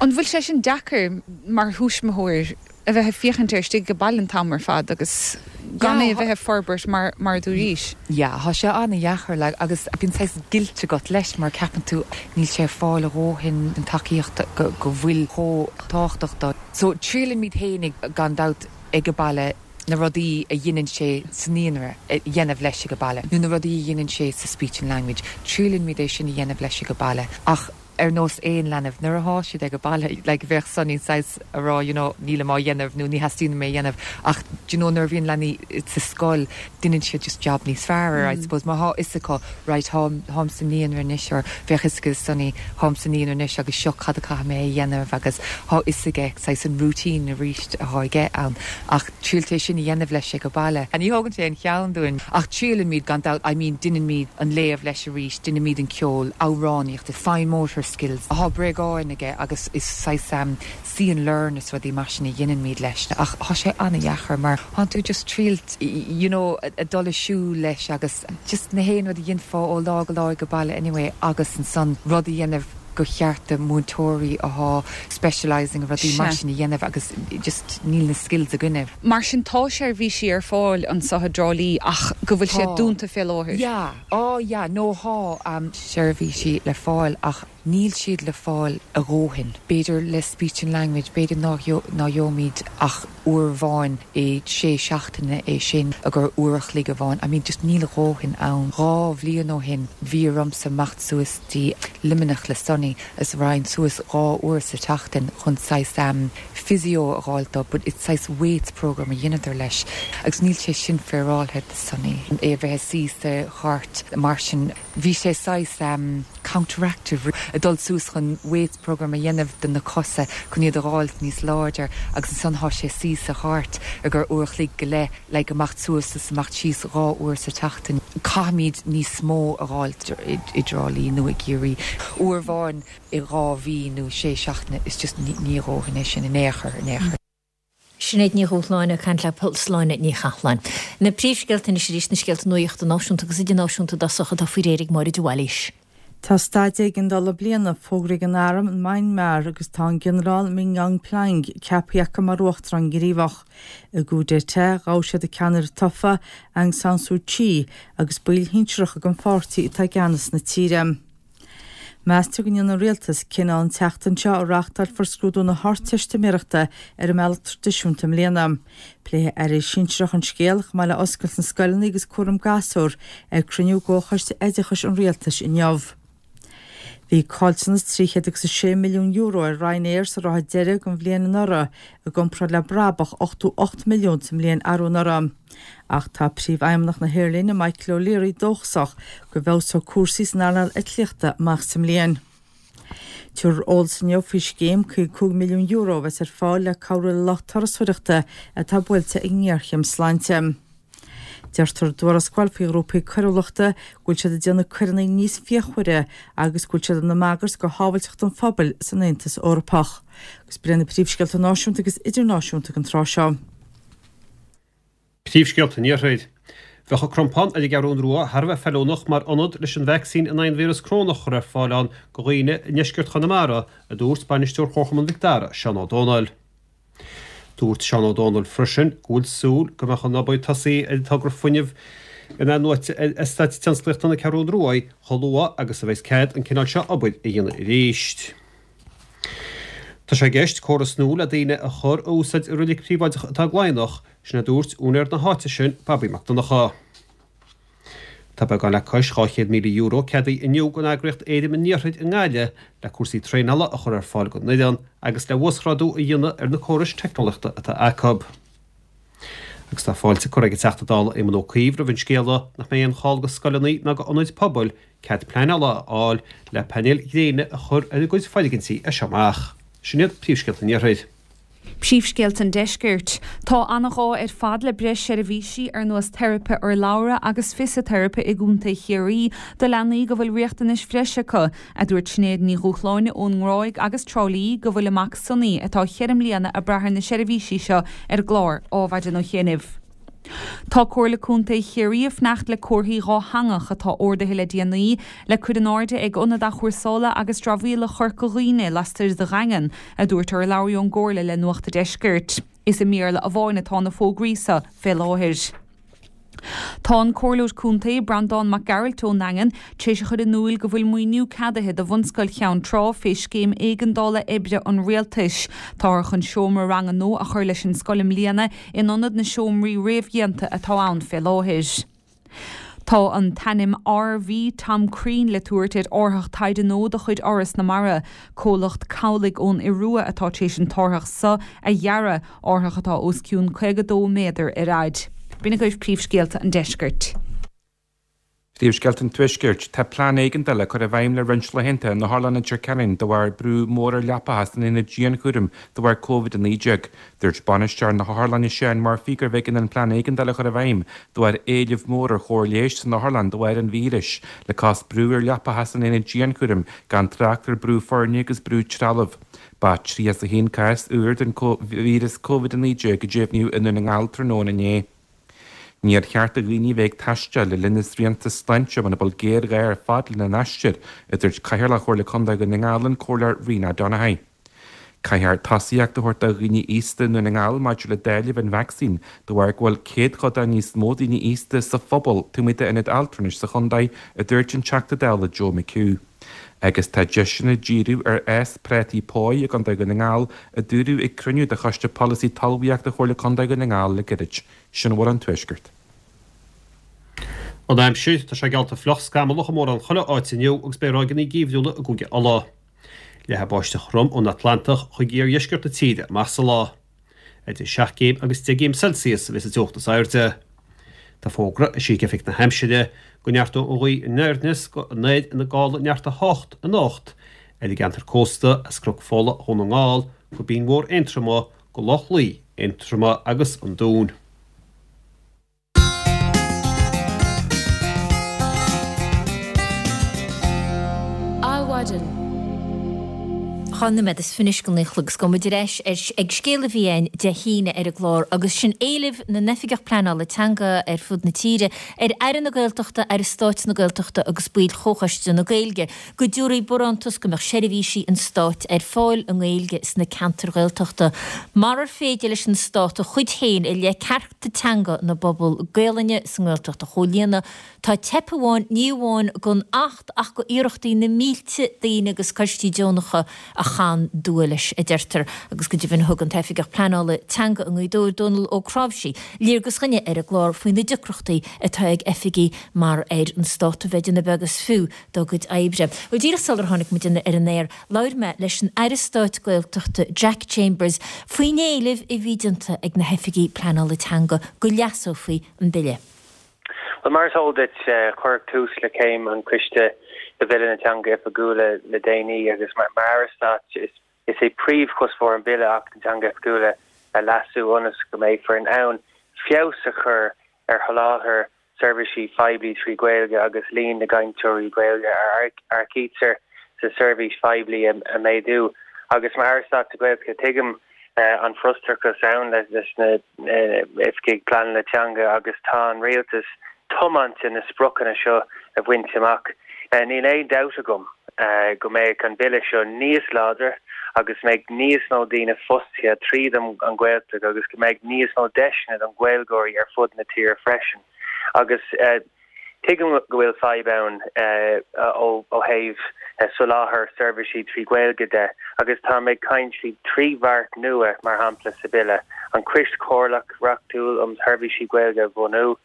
D: An bhfuil sé sin deacair mar thuismitheoir a bheith ag féachaint air istigh ag baile an t-am ar fad agus gan é a bheith ag forbairt mar mar a dúraís?
I: Yeah, tá sé an-dheacair like agus bíonn saghas guilt agat leis mar ceapann tú níl sé ag fáil a dhóthain den tacaíocht go go bhfuil chomh tábhachtach dó. So triailimid fhéinig gan dabht ag an baile na rudaí a dhéanann sé sa naíonra a dhéanamh leis ag an baile, nó na rudaí a dhéanann sé sa speech and language, triailimid é sin a dhéanamh leis ag an baile. Ach ar nós aon leanbh, nuair atá siad ag an baile, like bheadh Sonny saghas a rá you know nílim á dhéanamh nó ní theastaíonn uaim é a dhéanamh ach do you know nuair a bhíonn leanaí sa scoil déanann siad just job níos fearr I suppose mar tá fhios acu right táim táim sa naíonra anois or bheadh fhios ag Sonny táim sa naíonra anois agus seo cad a caithfidh mé a dhéanamh agus tá fhios aige saghas an routine arís atá aige ann ach triailt é sin a dhéanamh leis ag an baile. Ní thógann sé an cheann dúinn ach triailimid gan dabht I mean déanaimid an léamh leis arís, déanaimid an ceol, amhránaíocht, fine motor skills. Tá bréagáin aige agus is saghas um, see and learn is rudaí mar sin a dhéanaimid leis ach tá sé an-dheacair mar tá tú just triailt you know, a dul ag siúl leis agus just na haon rud a dhéanfá ó lá go lá ag baile anyway agus ansan rud a dhéanamh go cheart do múinteoirí atá specialising rudaí mar sin a dhéanamh agus just níl na skills againne.
D: Mar sin tá seirbhísí ar fáil anseo i dTrá Lí ach go bhfuil sé dúnta fé láthair.
I: Yeah, oh yeah, no tá um, seirbhísí le fáil ach níl siad le fáil a dhóthain. B'fhéidir le speech and language, b'fhéidir ná ná gheobhaimid ach uair amháin i sé seachtaine é sin agur uair a chloig amháin. I mean just níl a dhóthain ann. Dhá bhliain ó shin bhí ormsa imeacht suas dtí Luimneach le Sonny is raghainn suas dhá uair sa tseachtain chun saghas um, physio a fháil dó, but it's saghas weights program a dheineadar leis. Agus níl sé sin féaráilte do Sonny. É bheith suí sa chairt mar sin bhí sé saghas um, counteractive a dul suas chun weights program a dhéanamh do na cosa chun iad a fháil níos láidir agus ansan tá sé suí sa chairt agur uair a chloig go leith le go amach suas is amach síos dhá uair sa tseachtain. Caithfimid níos mó a fháil i dTrá Lí nó i gCiarraí. Uair amháin i dhá mhí nó sé seachtaine is just ní dhóthain é sin in aon chor in aon chor.
A: Sinéad Ní Dhúshláine ag caint le Sláine Ní Chatháin. Na príomhscéalta anois arís na scéalta nuachta náisiúnta agus idirnáisiúnta i dtosach atá faoi réir ag Máire de Bhailís.
B: Tá staid éigeandála bliana fógraithe ag an arm in Myanmar agus tá an Ginearál Min Aung Hlaing ceaptha acu mar uachtarán gníomhach. I gcoup d'état ghabh siad an ceannaire tofa Aung San Suu Kyi agus baill shinsearacha den pháirtí atá i gceannas na tíre. Meastar go ndéanfaidh an rialtas cinneadh an tseachtain seo an reáchtálfar scrúdú na hArdteistiméireachta ar an mbealach traidisiúnta i mbliana. Pléifidh airí sinsearacha an scéal chomh maith le oscailt na scoileanna agus cúram gasúr ag cruinniú gComhchoiste Oideachais an Rialtais inniu. Bhí caillteanas trí chéad agus a sé milliún euro ar Ryanair sa ráithe deiridh den bhliain anuraidh i gcomparáid le brabach ochtó ocht milliún sa mbliain arú anuraidh. Ach tá príomhfheidhmeannach na haerlíne Michael O'Leary dóchasach go bhfeabhsóidh cúrsaí san earnáil eitlíochta amach sa mbliain. Tabharfar eolas inniu faoi scéim caoga cúig milliún euro a bheas ar fáil le cabhrú le lucht turasóireachta atá buailte ag an ngéarchéim sláinte. Deirtear i dtuarascáil faoi ghrúpaí coiriúlachta go bhfuil siad ag déanamh coireanna níos fíochmhaire agus go bhfuil siad ina mbagairt do shábháilteacht an phobail san Aontas Eorpach. Agus b'in na príomhscéalta náisiúnta agus idirnáisiúnta don tráth seo.
C: Príomhscéalta an Iarthair. Bheadh an Crompán ar an gCeathrú Rua thar a bheith feiliúnach mar ionad leis an vacsaín in aghaidh an víreas corónach a chur ar fáil ann do dhaoine i ndeisceart Chonamara, a dúirt bainisteoir Chomharchumann Mhic Dara, Seán Ó Dónaill. Dúirt Seán Ó Dónaill freisin go bhfuil súil go mbeadh an obair tosaithe ar an togra fuinnimh in-athnuaite ar Eastát Tionsclaíochta na Ceathrún Rua chomh luath agus a bheas cead an cineál seo obair a dhéanamh arís. Tá sé i gceist córas nua le daoine a chur a úsáid i reilig príobháideach atá i gCladhnach, sin a dúirt úinéir na háite sin, Bobby Mac Donncha. Tá beagán le cois dhá chéad míle euro ceadaithe inniu don eagraíocht Éirim an Iarthair i nGaillimh le cúrsaí traenála a chur ar fáil don fhoireann agus le uasghrádú a dhéanamh ar na córais teicneolaíochta atá acu. Agus tá fáilte curtha ag an Teachta Dála Éamon Ó Cuív roimh an scéala nach mbeidh aon chall do scoileanna ná d'ionaid pobail cead pleanála a fháil le painéil ghréine a chur ar a gcuid foirgintí as seo amach. Sin iad príomhscéalta an Iarthair.
D: Príomhscéalta an Deiscirt. Tá an-ghá ar fad le breis seirbhísí ar nós teiripe urlabhra agus fisiteiripe i gContae Chiarraí do leanaí go bhfuil riachtanais bhreise acu, a dúirt Sinéad Ní Dhúshláine ón nGráig agus Trá Lí go bhfuil a mac Sonny atá cheithre mbliana ag brath ar na seirbhísí seo ar an gclár Adhmhaidin ó chianaibh. Tá Comhairle Contae Chiarraí ag fanacht le comharthaí dhátheangach atá ordaithe le déanaí le cur in airde ag Ionad Athchúrsála agus Dramhaíola Chorca Dhuibhne lastoir de Dhaingean, a dúirt urlabhraí ón gComhairle le Nuacht an Deiscirt. Is i mBéarla amháin atá na fógraí seo fé láthair. Tá an Comhairleoir Contae, Breandán Mac Gearailt ón nDaingean, tar éis a chur in iúil go bhfuil maoiniú ceadaithe do Bhunscoil Cheann Trá fé Scéim Éigeandála Oibre an Rialtais. Táthar chun seomra ranga nua a chur leis an scoil i mbliana in ionad na seomraí réamhdhéanta atá ann fé láthair. Tá an t-ainm RV Tom Crean le tabhairt ar árthach taighde nua de chuid Fhoras na Mara. Comhlacht cabhlaigh ón Iorua atá tar éis an t-árthach seo a dhearadh, árthach atá os cionn caoga dó méadar ar fhaid. B'in agaibh príomhscéalta an deiscirt.
E: Príomhscéalta an Tuaiscirt. Tá plean éigeandála curtha i bhfeidhm le roinnt laethanta in Otharlann Leitir Ceanainn de bharr brú mór ar leapacha san aonad dianchúraim de bharr Covid a naoi déag. Dúirt bainisteoir na hotharlainne Seán Murphy gurbh éigean an plean éigeandála a chur i bhfeidhm de bharr éileamh mór ar chóir leighis san otharlann de bharr an víris, le cás brú ar leapacha san aonad dianchúraim gan trácht ar brú foirne agus brú trealaimh. Ba tríocha a haon cás úr den víreas Covid a naoi déag a deimhníodh i nDún na nGall tráthnóna inné. Níor cheart do dhaoine a bheith ag taisteal le linn na srianta sláinte muna bhfuil géarghá ar fad lena n-aistear, a dúirt Cathaoirleach Chomhairle Contae Dhún na nGall, an Comhairleoir Rena Donaghey. Caithfear tosaíocht a thabhairt do dhaoine aosta i nDún na nGall maidir le dáileamh an vacsaín de bharr go bhfuil céadchodán níos mó daoine aosta sa phobal taobh amuigh d'ionaid altranais sa chontae, a dúirt an Teachta Dála Joe McHugh. Agus tá deiseanna díriú ar fhás prátaí póigh i gContae Dhún na nGall, a dúradh ag cruinniú de Choiste Polasaí Talmhaíochta Chomhairle Contae Dhún na nGall le gairid. Sin a bhfuil ón Tuaisceart.
C: An aimsir, Tá sé geallta fliuch scamallach i mórán chuile áit inniu agus beidh ráigeanna geimhriúla i gCúige Uladh. Leathfaidh báisteach throm ón Atlantach chuig iardheisceart na tíre amach sa lá. Idir seacht gcéim agus deich gcéim Celsius a bheas an teocht is airde. Tá fógra eisithe ag Oifig na hAimsire go neartóidh an ghaoth anoir aneas go anoir ina gála neart a hocht anocht ar an gceantar cósta as Cnoc Fola Dhún na nGall go Binn Mhór Aontroma go Loch Lao Aontroma agus an Dún.
A: Adhmhaidin. Dhá nóiméad is fiche anois go naoi a chlog is gabhfaidh muid ar ais ag scéal a bhí againn Dé hAoine ar an gclár agus sin éileamh na n-oifigeach pleanála teanga ar fud na tíre ar Aire na Gaeltachta, Aire Stáit na Gaeltachta agus baill Chomhchoiste na Gaeilge go dtabharfaí barántas go mbeadh seirbhísí an stáit ar fáil i nGaeilge sna ceantair Ghaeltachta marar féidir leis an stát a chuid féin i leith cearta teanga na bpobal Gaelainne sa nGaeltacht a chomhlíonadh. Tá teip amháin, ní amháin don Acht ach go iarrachtaí na mílte daoine agus coistí deonacha a chan dua leis, a deirtear. Agus go deimhin thug an tOifigeach Pleanála Teanga i nGaoth Dobhair, Dónal Ó Cnáimhsí, léargas dhúinne ar an gclár faoi na deacrachtaí atá ag oifigigh mar ar an Stát a bheith ag déanamh beag is fiú dá gcuid oibre. Bhuel, díreach sular tháinig muid ar an aer, labhair mé leis an Aire Stáit Gaeltachta Jack Chambers faoin éileamh a bhí déanta ag na hoifigigh pleanála teanga go leasófaí an bille.
J: Bhuel, mar is eol duit, cuireadh tús le céim an choiste do Bhille na Teanga Oifigiúla le déanaí agus mar Aire Stáit is é príomhchuspóir an bhille Acht na dTeangacha Oifigiúla a leasú ionas go mbeifear in ann feabhas a chur ar sholáthar seirbhísí poiblí trí Ghaeilge agus líon na gcainteoirí Gaeilge a earcaítear sa tseirbhís phoiblí a mhéadú. Agus mar Aire Stáit na Gaeltachta, tuigim an frustrachas ann leis na hoifigigh pleanála teanga agus tá an Rialtas tiomanta na spriocanna seo a bhaint amach. Níl aon dabht agam go mbeidh an Bille seo níos láidre agus mbeidh níos mó daoine fostaithe tríd an Ghaeltacht agus go mbeidh níos mó deiseanna don Ghaeilgeoirí ar fud na tíre freisin. Agus tuigim go bhfuil fadhb ann ó thaobh soláthar seirbhísí trí Ghaeilge de agus táim ag caint faoi trí bheart nua, mar shampla, sa Bhille, an Coiste Comhairleach Reachtúil um Sheirbhísí Gaeilge a bhunú,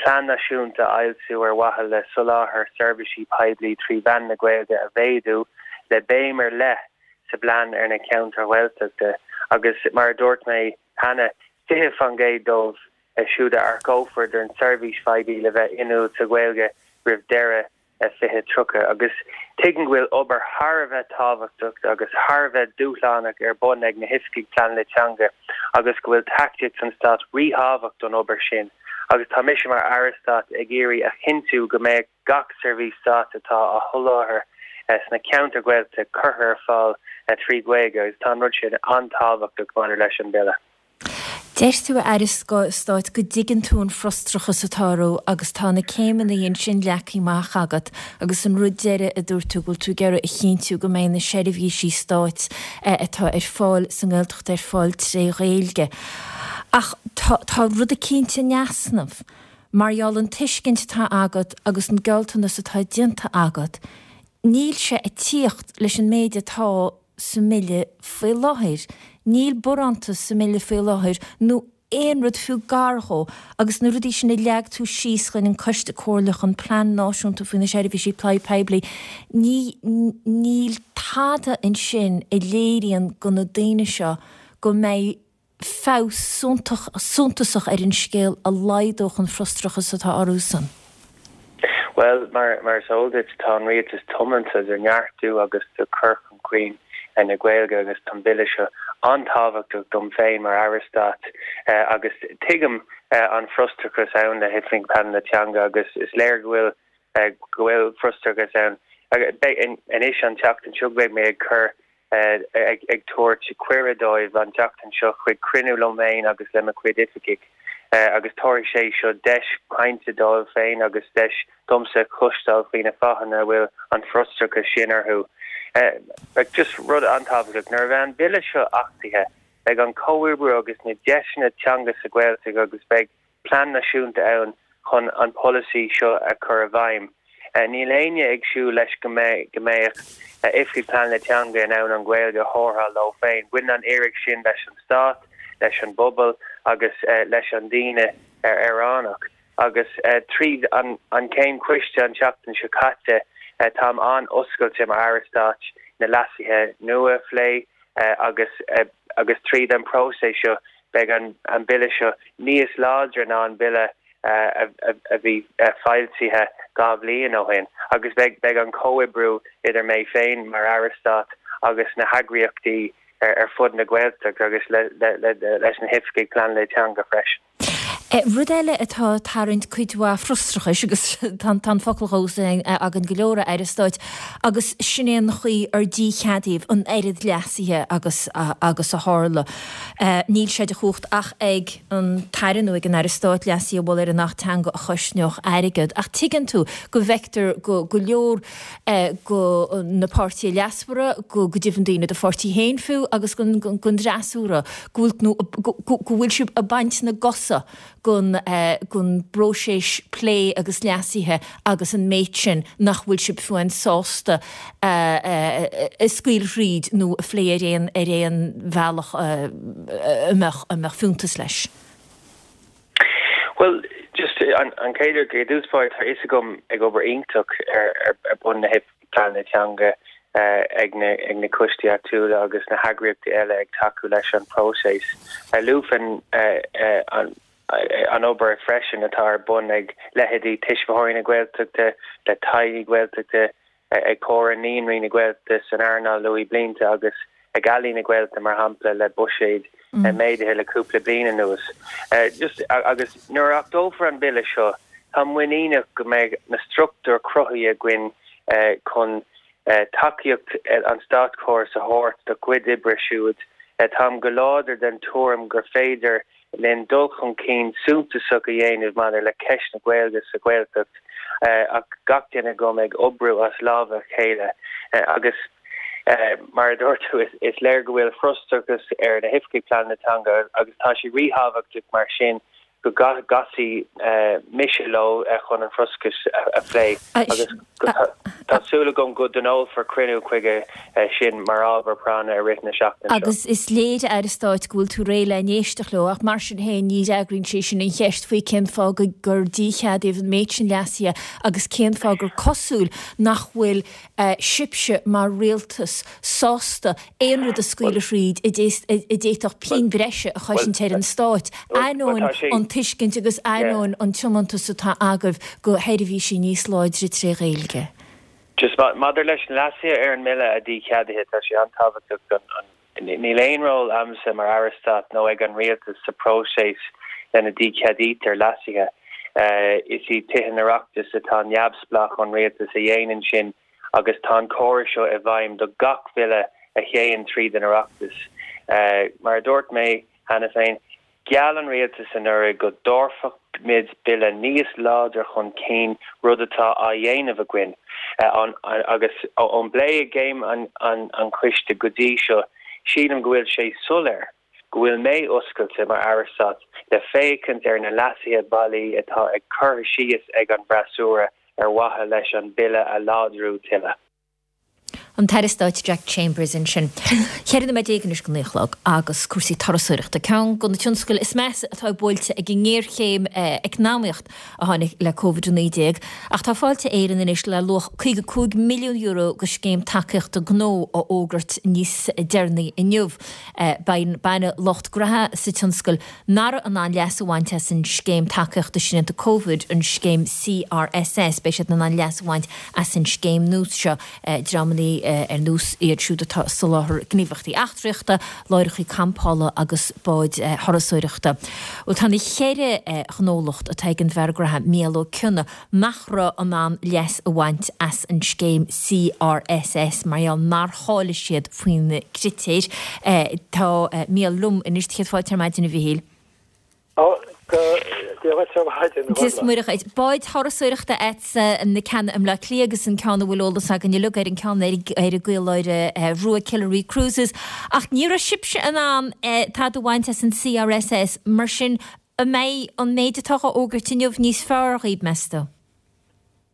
J: plean náisiúnta a fhoilsiú ar mhaithe le soláthar seirbhísí poiblí trí mheán na Gaeilge a mhéadú, le béim ar leith sa bplean ar na ceantair Ghaeltachta agus, mar a dúirt mé cheana, fiche faoin gcéad dóibh siúd a earcófar don tseirbhís phoiblí le bheith inniúil sa Ghaeilge roimh deireadh fiche tríocha agus tuigim go bhfuil obair thar a bheith tábhachtach agus thar a bheith dúshlánach ar bun ag na hoifigigh pleanála teanga agus go bhfuil tacaíocht an Stáit ríthábhachtach don obair sin agus tá mise mar Aire Stáit ag iarraidh a chinntiú go mbeidh gach seirbhís stáit atá á sholáthar sna ceantair Ghaeltachta curtha ar fáil trí Ghaeilge agus tá an rud sin an-tábhachtach maidir leis an Bille.
A: Deir tú, a Aire Stáit, go dtuigeann tú an frustrachas atá orthu agus tá na céimeanna ansin leagtha amach agat agus an rud deiridh a dúirt tú go bhfuil tú ag iarraidh a chinntiú go mbeidh na seirbhísí stáit atá ar fáil sa nGaeltacht ar fáil tré Ghaeilge. Ach tá tá rud eicínt in easnamh mar gheall an tuiscint atá agat agus an gealltanas atá déanta agat, níl sé ag tíocht leis an méid atá sa mBille faoi láthair. Níl barántas sa mBille faoi láthair nó aon rud fiú gar dhó agus na rudaí sin a leag tú síos chuin an Coiste Comhairleach, an Plean Náisiúnta faoi na Seirbhísí Poiblí, ní níl tada ansin a léiríonn go na daoine seo go mbeidh feabhas suntasach ar an scéal a laghdódh an frustrachas atá orthusan.
J: Bhuel, mar mar is eol duit, tá an Rialtas tiomanta do neartú agus do chur chun cinn na Gaeilge agus tá an Bille seo an-tábhachtach dom féin mar Aire Stáit agus tuigim an frustrachas ann le hOifigigh Pleanála Teanga agus is léir go bhfuil go bhfuil frustrachas ann. Beidh anois an tseachtain seo beidh mé ag cur ag ag tabhairt cuireadh dóibh an tseachtain seo chuig cruinniú liom féin agus le mo chuid oifigigh agus tabharfaidh sé seo deis cainte dóibh féin agus deis domsa cloisteáil faoi na fáthanna a bhfuil an frustrachas sin orthu. Just rud an-tábhachtach, nuair a bheidh an Bille seo achtaithe, beidh an comhoibriú agus na deiseanna teanga sa Ghaeltacht agus beidh plean náisiúnta ann chun an polasaí seo a chur i bhfeidhm. Níl éinne ag súil leis go mbeidh go mbeadh Oifigigh Pleanála Teanga in ann an Ghaeilge a thabhairt leo féin. Baineann an iarracht sin leis an Stát, leis an bpobal agus leis an daoine aonarach. Agus tríd an an céim choiste an tseachtain seo caite, táim an-oscailte mar Aire Stáit na leasuithe nua a phlé agus agus tríd an próiseas seo beidh an an Bille seo níos láidre ná an Bille a bhí foilsithe dhá bhliain ó shin agus beidh beidh an comhoibriú idir mé féin mar Aire Stáit agus na heagraíochtaí ar fud na Gaeltachta agus leis na hoifigigh pleanála teanga freisin.
A: Rud eile atá ag tarraingt cuid mhaith frustrachais, agus tá an focal á úsáid againn go leor, a Aire Stáit, agus sin é an chaoi ar dícheadaíodh an oiread leasuithe agus agus a tharla. Níl sé de chumhacht ach ag an tAire nó ag an Aire Stáit leasuithe a mholadh ar an Acht Teanga a chosnódh airgead. Ach tuigeann tú go bhfeictear go go leor go na páirtithe leasmhara, go go deimhin daoine do pháirtí féin fiú agus gon fhreasúra go bhfuil nó go bhfuil sibh ag baint na gcosa gon gon bpróiseas plé agus leasuithe agus an méid sin nach bhfuil sibh fiú amháin sásta a scaoileadh thríd nó a phlé ar aon ar aon bhealach a mbeadh a mbeadh fiúntas leis.
J: Bhuel, just an an chéad rud i dtús báire tá fhios agam ag obair iontach ar ar bun na pleanála teanga ag na ag na coistí áitiúla agus na heagraíochtaí eile ag tacú leis an próiseas. Luafainn an an obair freisin atá ar bun ag leithéidí Tuismitheoirí na Gaeltachta, le teaghlaigh Ghaeltachta, ag Comhar Naíonraí na Gaeltachta san earnáil luathbhlianta agus ag Ealaín na Gaeltachta mar shampla le buiséid méadaithe le cúpla bliain anuas. Just agus nuair a achtófar an Bille seo, táim muiníneach go mbeidh na struchtúir cruthaithe againn chun tacaíocht an státchórais a thabhairt dá gcuid oibre siúd. Táim go láidir den tuairim gur féidir linn dul chun cinn suntasach a dhéanamh maidir le ceist na Gaeilge sa Ghaeltacht ach gach duine agam ag oibriú as lámha a chéile agus mar a dúirt tú is léir go bhfuil frustrachas ar na hoifigigh pleanála teanga agus tá sé ríthábhachtach mar sin go gcasfaidh mise leo chun an frustrachas a phlé agus go Tá súil agam go dtionólfar cruinniú chuige sin mar ábhar práinne i rith na seachtaine seo.
A: Agus is léir, a Aire Stáit, go bhfuil tú réidh le n-éisteacht leo, ach mar sin féin ní fhreagraíonn sé sin an cheist faoi cén fáth gur dícheadaíodh an méid sin leasuithe agus cén fáth gur cosúil nach bhfuil sibhse mar rialtas sásta aon rud a scaoileadh thríd a d'fhéadfadh pian bhreise a chosaint ar an Stát, ainneoin an tuiscint agus ainneoin an tiomantas atá agaibh go sheirbhísí níos láidre tré Ghaeilge.
J: Just maidir leis na leasuithe ar an mBille a dícheadaithe, tá sé an-tábhachtach don an níl aon ról agamsa mar Aire Stáit nó ag an Rialtas sa próiseas lena dícheadaítear leasuithe. Is iad Tithe an Oireachtais atá neamhspleách ón Rialtas a dhéanann sin agus tá an córas seo i bhfeidhm do gach bille a théann tríd an Oireachtas. Mar a dúirt mé cheana féin, Gheall an rialtas anuraidh go dtabharfaimid bille níos láidre chun cinn, rud atá á dhéanamh againn, agus ón bplé i gcéim an choiste go dtí seo, sílim go bhfuil sé soiléir go bhfuil mé oscailte mar Aire Stáit le féachaint ar na leasuithe bailí atá ag curtha síos ag an bhfreasúra ar mhaithe leis an bille a láidriú tuilleadh.
A: An tAire Stáit Jack Chambers ansin. Ceithre nóiméad déag anois go naoi a chlog agus cúrsaí turasóireachta, ceann de na tionscail is measa atá buailte ag an ngéarchéim eacnamaíocht a tháinig le Covid a naoi déag. Ach tá Fáilte Éireann anois le luach caoga cúig milliún euro go scéim tacaíochta gnó a fhógairt níos deireanaí inniu. Baineadh lucht graithe sa tionscal nach raibh in ann leas a bhaint as an scéim tacaíochta srianta Covid, an scéim C R S S, beidh siad in ann leas a bhaint as an scéim nua seo, dreamanna ar nós iad siúd atá ag soláthar gníomhaíochtaí eachtraíochta, láithreacha campála agus báid thurasóireachta. Bhuel, tá na ceithre ghnólacht atá ag an bhfear graithe Mícheál Ó Cionnaith nach raibh in ann leas a bhaint as an scéim C R S S mar gheall nár cháiligh siad faoi na critéir. Tá Mícheál liom anois. Céad fáilte ar maidin, a Mhichíl.
K: Ó, go Dia dhuit ar maidin, a
A: Dia is
K: Ghormfhlaith.
A: Muire dhuit. Báid thurasóireachta agat na ceanna i mBleá Cliath agus an ceann a bhfuil eolas againn uilig ar an ceann ar ar an gCaoláire Rua, Killary Cruises. Ach ní raibh sibhse in ann tada a bhaint as an C R S S, mar sin an mbeidh an méid atá á fhógairt inniu níos fearr dhaoibh, meas tú?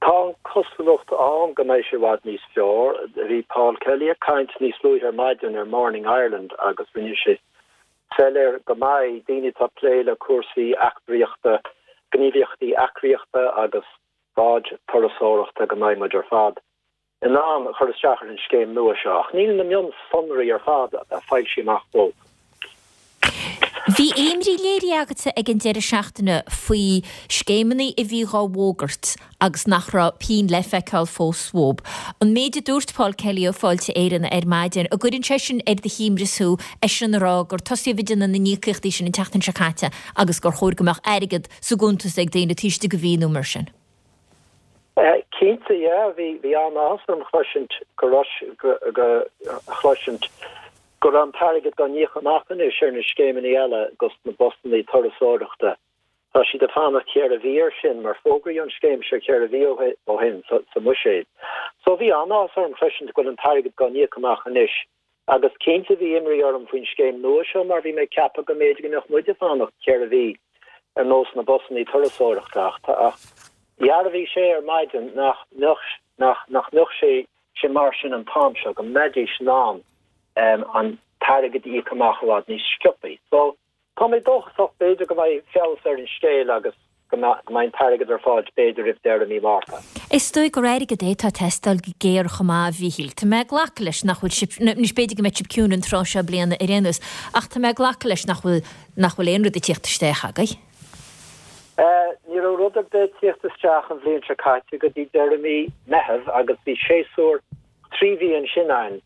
K: Tá an chosúlacht ann go mbeidh sé i bhfad níos fearr. Bhí Paul Kelly ag caint níos luaithe ar maidin ar Morning Ireland agus rinne sé soiléir go mbeidh daoine atá ag plé le cúrsaí eachtraíochta, gníomhaíochtaí eachtraíochta agus báid turasóireachta go mbeidh muid ar fad in ann a chur isteach ar an scéim nua seo. Ach níl na mionsonraí ar fad foilsithe amach fós.
A: Bhí imní léirithe agatsa ag an deireadh seachtaine faoi scéimeanna a bhí dhá bhfógairt agus nach raibh pingin le feiceáil fós uathu. An méid a dúirt Paul Kelly ó Fáilte Éireann ar maidin, an gcuireann sé sin ar do shuaimhneas thú, eisean a rá gur tosaíodh ag déanamh na n-íocaíochtaí sin an tseachtain seo caite agus gur chóir go mbeadh airgead sa gcuntas ag daoine taobh istigh de mhí nó mar sin?
K: Cinnte, yeah, bhí bhí an-áthas orm chloisint go go go chloisint go raibh an t-airgead á íoc amach anois ar na scéimeanna eile agus na busanna turasóireachta. Tá siad ag fanacht ceithre mhí air sin mar fógraíodh an scéim seo ceithre mhí ó shin sa sa mbuiséad. So bhí an-áthas orm chloisint go bhfuil an t-airgead á íoc amach anois. Agus cinnte bhí imní orm faoin scéim nua seo mar bhí mé ag ceapadh go mb'fhéidir go mbeadh muid ag fanacht ceithre mhí ar nós na busanna turasóireachta ach ach dhearbhaigh sé ar maidin nach mbeadh nach nach mbeadh sé sé mar sin an t-am seo go mbeidís in ann um, an t-airgead a íoc amach i bhfad níos sciobtha. So tá mé dóchasach b'fhéidir go mbeidh feabhas ar an scéal agus go mbeidh an t-airgead ar fáil b'fhéidir roimh deireadh mí Márta.
A: Is dóigh gur airgead é atá ag teastáil go géar chomh maith, a Mhichíl. Tá mé ag glacadh leis nach bhfuil sibh, anois b'fhéidir go mbeidh sibh ciúin an tráth seo bliana ar aon nós, ach tá mé ag glacadh leis nach bhfuil nach bhfuil aon rud ag tíocht isteach agaibh.
K: Uh, ní raibh rud ar bith ag tíocht isteach an bhliain seo caite go dtí deireadh mí Meitheamh agus bhí séasúr trí mhí ansin ann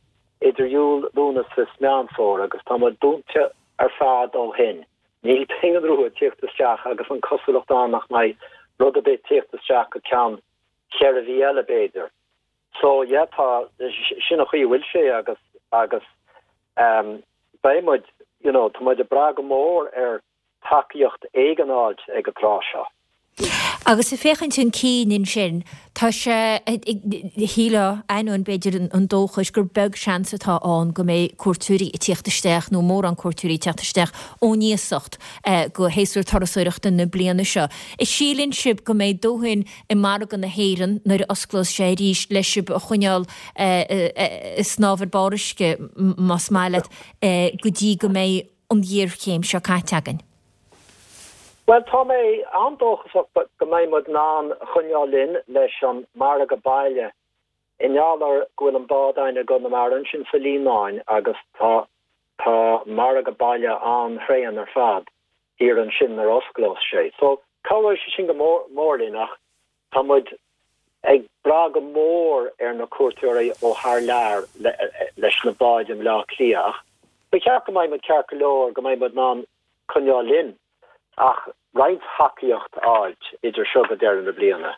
K: idir Iúil, Lúnasa is Meán Fómhair agus tá muid dúnta ar fad ó shin. Níl pingin rua ag tíocht isteach agus an cosúlacht ann nach mbeidh rud ar bith ag tíocht isteach go ceann ceithre mhí eile b'fhéidir. So yeah, tá sin an chaoi a bhfuil sé agus agus um, beidh muid you know, tá muid ag brath go mór ar tacaíocht éigin ag an tráth seo.
A: Agus ag féachaint chun cinn ansin, tá sé, shílfeá, ainneoin b'fhéidir an dóchais gur beag seans atá ann go mbeidh cuairteoirí ag tíocht isteach nó mórán cuairteoirí ag teacht isteach ón iasacht go shéasúr turasóireachta na bliana seo. An síleann sibh go mbeidh dóthain i margadh na hÉireann nuair a osclós sé arís le sibh a choinneáil ag snámh ar barr uisce, más maith leat, go dtí go mbeidh an ghéarchéim seo caite againn?
K: Bhuel, tá mé an-dóchasach go mbeidh muid in ann choinneáil linn leis an margadh baile i ngeall ar go bhfuil an bád againn i gConamara ansin sa Líonán agus tá tá margadh baile an-thréan ar fad thiar ansin nuair a osclós sé. So, cabhróidh sé sin go mór mór linn ach tá muid ag brath go mór ar na cuairteoirí ó thar lear leis na báid i mBleá Cliath ach ba cheart go mbeidh muid ceart go leor go mbeidh muid in ann coinneáil linn ach roinnt thacaíocht a fháilt idir seo go deireadh na bliana.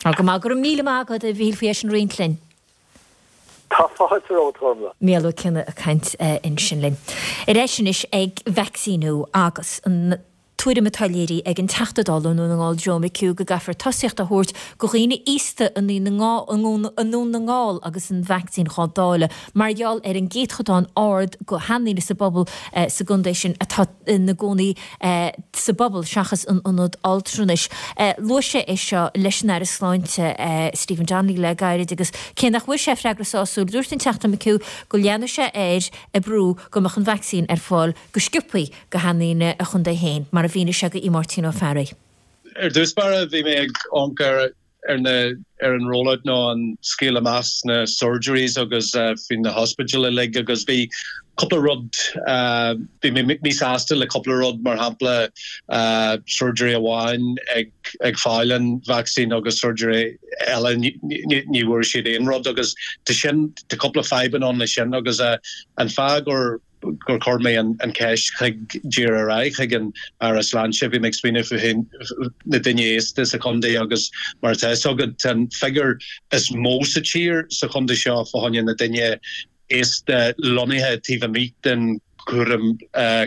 A: Tá go maith. Go raibh míle maith agat, a Mhíchíl, faoi é sin a roinnt linn.
K: Tá fáilte romhat, a Ghormfhlaith.
A: Mícheál Ó Cionnaith ag caint ansin linn. Ar ais anois ag vacsaíniú agus an tuairim atá léirithe ag an Teachta Dála i nDún na nGall Joe McHugh go gcaithfear tosaíocht a thabhairt go dhaoine aosta i nDún na nGall agus an vacsaín dhá dáileadh mar gheall ar an gcéatadán ard go sheandaoine sa bpobal sa gcontae sin atá ina gcónaí sa bpobal seachas in ionad altranais. Luaigh sé é seo leis an Aire Sláinte Stephen Donnelly le gairid agus cé nach bhfuair sé freagra sásúil dúirt an Teachta McHugh go leanfaidh sé air ag brú go mbeadh an vacsaín ar fáil go sciobthaí go sheandaoine a chontae féin, mar a mhínigh sé go Máirtín Ó Fearraigh.
L: Ar dtús báire bhí mé ag amharc ar ar na ar an rollout nó an scaoileadh amach sna surgeries agus faoi na hospidéil uilig agus bhí cúpla rud bhí mé míshásta le cúpla rud mar shampla surgery amháin ag ag fáil an vacsaín agus surgery eile ní ní bhfuair siad aon rud agus tá sin tá cúpla fadhbanna ann le sin agus an fáth gur gur chuir mé an cheist chuig díreach ar aghaidh chuig an Aire Sláinte. Bhí mé ag smaoineamh faoi na daoine aosta sa chontae agus mar atá fhios agat tá an figiúr is mó sa tír sa chontae seo fá choinne na daoine aosta lonnaithe taobh amuigh den chúram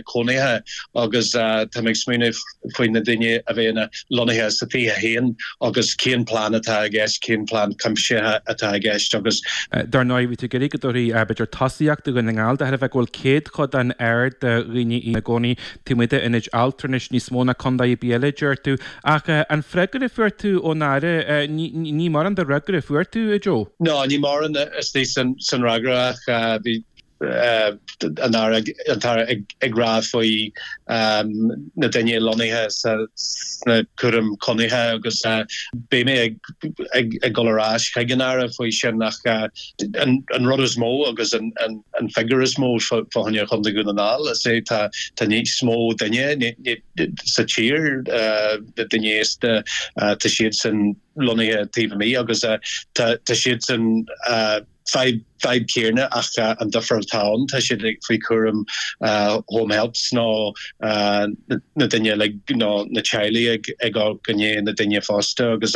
L: cónaithe agus tá mé ag smaoineamh faoi na daoine a bheidh ina lonnaithe sa tithe féin agus cén plean atá i gceist, cén plean cuimsithe atá i gceist agus.
E: Dar ndóigh, bhí tú ag iarraidh go dtabharfaí, b'fhéidir, tosaíocht do Dhún na nGall de thairbhe go bhfuil céadchodán ard de dhaoine ina gcónaí taobh amuigh d'ionaid altranais níos mó ná contae ar bith eile, deir tú. Ach an freagra a fuair tú ón Aire, ní mórán de fhreagra a fuair tú, a Joe?
L: No, ní mórán istigh san fhreagra ach bhí an tAire ag rá faoi na daoine lonnaithe sna cúram cónaithe agus beidh mé ag dul ar ais chuig an Aire faoi sin ach an rud is mó agus an figiúr is mó fá choinne Chontae Dhún na nGall is é tá níos mó duine sa tír na daoine aosta tá siadsan lonnaithe taobh amuigh agus tá siadsan fadhb fadhb céanna ach an difear atá ann tá siad faoi chúram home helps nó na daoine uilig nó na teaghlaigh ag ag amharc i ndiaidh na daoine fosta agus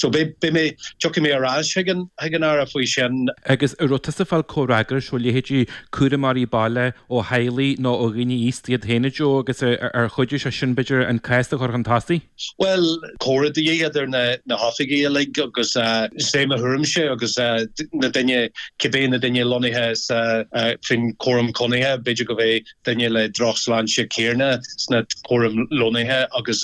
L: so beidh beidh mé tiocfaidh mé ar ais chuig an chuig an Aire faoi sin.
E: Agus an raibh tusa ag fáil comhfhreagrais ó leithéidí cúramóirí baile ó theaghlaigh nó ó dhaoine aosta iad féin a Joe agus ar chuidigh sé sin b'fhéidir an cás a chur chun tosaigh?
L: Bhuel comhrá de dhíth idir na na hoifigigh uilig agus is é mo thuairimse agus na daoine cibé na daoine lonnaithe sa faoin cúram cónaithe, b'fhéidir go bheidh duine le drochshláinte céanna sna cúram lonnaithe agus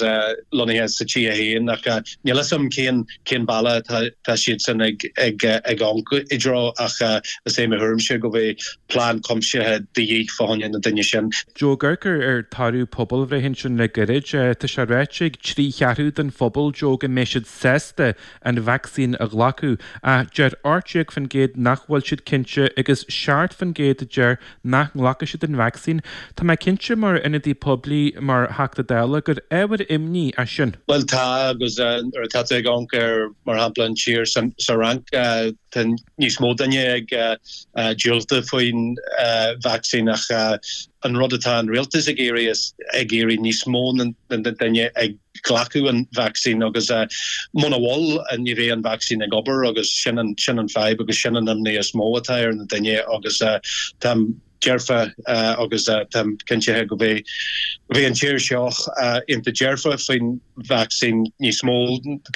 L: lonnaithe sa tithe féin ach níl a fhios agam cén cén bealach atá tá siadsan ag ag ag amharc i dtreo ach is é mo thuairimse go bheidh plean cuimsithe de dhíth fá choinne na daoine sin.
E: Joe, ag amharc ar toradh pobalbhreithe ansin le gairid, tá sé ráite ag trí cheathrú den phobal, Joe, go mbeidh siad sásta an vacsaín a ghlacadh ach deir ocht déag faoin gcéad nach bhfuil siad cinnte agus seacht faoin gcéad a deir nach nglacfaidh siad an vacsaín. Tá mé cinnte mar ionadaí poiblí, mar Theachta Dála, gur ábhar imní é sin.
L: Bhuel tá agus nuair atá tú ag amharc ar mar shampla an tír sa Fhrainc tá níos mó duine ag diúltú faoin vacsaín ach an rud atá an rialtas ag iarraidh is ag iarraidh níos mó na duine ag glacadh an vacsaín agus muna bhfuil ní bheidh an vacsaín ag obair agus sin an sin an fadhb agus sin an imní is mó atá ar na duine agus tá dearfa agus táim cinnte go mbeidh go mbeidh an tír seo iontach dearfa faoin vacsaín níos mó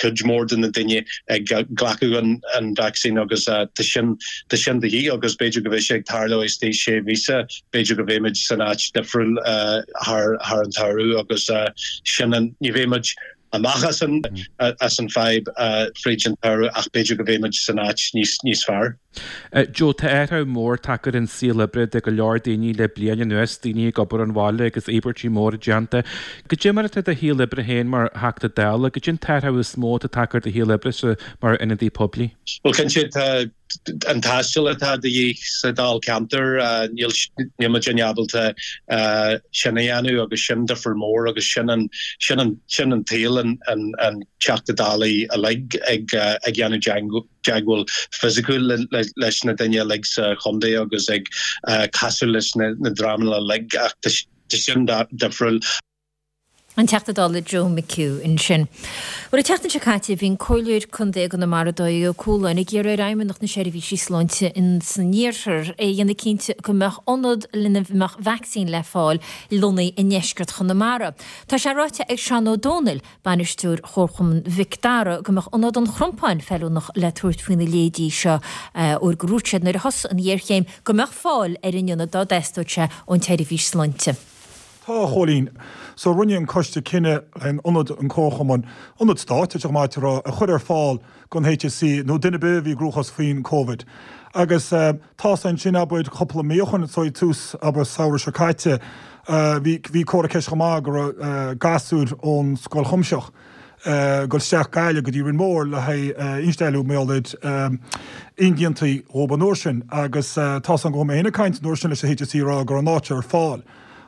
L: cuid mhór de na daoine ag glacadh an an vacsaín agus tá sin tá sin de dhíth agus b'fhéidir go mbeidh sé ag tarlú istigh sé mhíosa b'fhéidir go mbeimid san áit difriúil thar thar an tsamhradh agus sin an ní bheimid amach as an as an fadhb fríd an tsamhradh ach b'fhéidir go mbeimid san áit níos níos fearr.
E: Joe, tá athrú mór tagtha ar an saol oibre do go leor daoine le bliain anuas, daoine ag obair ón bhaile agus íobairtí móra déanta. Goidé mar atá do shaol oibre féin mar Theachta Dála, goidé an t-athrú is mó atá tagtha ar do shaol oibre mar ionadaí poiblí?
L: Bhuel cinnte tá an taisteal atá de dhíth sa Dáilcheantar, níl níl muid ábalta sin a dhéanamh agus sin difear mór agus sin an sin an sin an tsaol an an an Teachta Dála uilig ag ag dhéanamh teagmháil fisiciúil leis na daoine uilig sa chontae agus ag casadh leis na na dreamanna uilig ach tá sin difriúil.
A: An Teachta Dála Joe McHugh ansin. Bhuel, an tseachtain seo caite bhí an Comhairleoir Contae i gConamara Dáithí Ó Cualáin ag iarraidh ar Fheidhmeannacht na Seirbhísí Sláinte in san iarthar é a dhéanamh cinnte go mbeadh ionad lena mbeadh vacsaín le fáil lonnaithe i ndeisceart Chonamara. Tá sé ráite ag Seán Ó Dónaill, bainisteoir Chomharchumann Mhic Dara, go mbeadh ionad an Chrompáin feiliúnach le tabhairt faoina leithéidí seo óir gur dhúirt siad nuair a thosaigh an ghéarchéim go mbeadh fáil ar an ionad dá dteastódh sé ón tseirbhís sláinte.
M: Tá, a Chóilín. So rinne an coiste cinneadh an ionad an Comharchumann, ionad stáit, tá sé maith a rá, a chur ar fáil don HSE nó duine ar bith a bhí i gcruachás faoin Covid. Agus tá's ansin abair cúpla mí ó shoin, so i tús abair samhradh seo caite, bhí bhí comhartha ceiste chomh maith go raibh gasúir ón Scoil Chuimsitheach ag dul isteach Gaillimh go dtí Rinn Mór le haghaidh instealladh mar gheall ar imdhíontaí dhóibh an uair sin agus tá's agam go raibh mé féin ag caint an uair sin leis an HSE ag rá go raibh an áit ar fáil.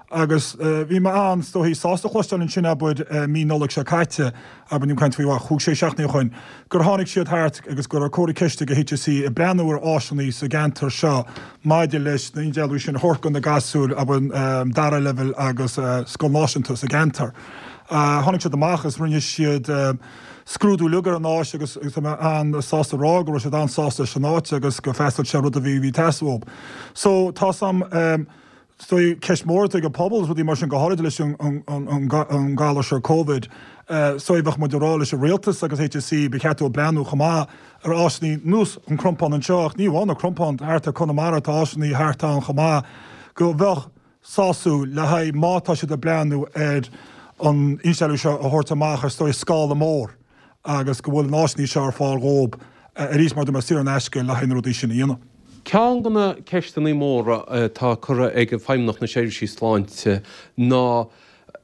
M: Agus bhí mé an, is dóigh, sásta cloisteáil ansin, abair, mí Nollag seo caite, abair, nílim ag caint faoi bhuel, chúig, sé seachtainí ó shoin, gur tháinig siad thart agus go raibh comhartha ceiste ag HSE ag breathnú ar áiseanna sa gceantar seo maidir leis na instealladh sin a thabhairt do na gasúir, abair, dara leibhéal agus scoil náisiúnta sa gceantar. Tháinig siad amach agus rinne siad scrúdú uilig ar an áis agus tá mé an-sásta a rá go raibh siad an-sásta leis an áit agus gur freastail sé rud a bhí ag teastáil uathu. So, tá's agam, Is dóigh, ceist mhór atá ag an pobal is rudaí mar sin, go háirid leis an galar seo Covid. Is dóigh, bheadh muid ag rá leis an rialtas agus HSE, ba cheart dóibh breathnú chomh maith ar áiseanna nós an Crompán anseo, ach ní amháin an Crompán, thart ar Conamara tá áiseanna thart ann chomh maith, go bheadh sásúil le haghaidh má tá siad ag breathnú ar an instealladh seo a thabhairt amach ar is dóigh scála mór agus go bhfuil na áiseanna seo ar fáil dhóibh arís mar a dúirt mé saor in aisce le haghaidh na rudaí sin a dhéanamh.
N: Ceann de na ceisteanna móra atá curtha ag Feidhmeannacht na Seirbhísí Sláinte ná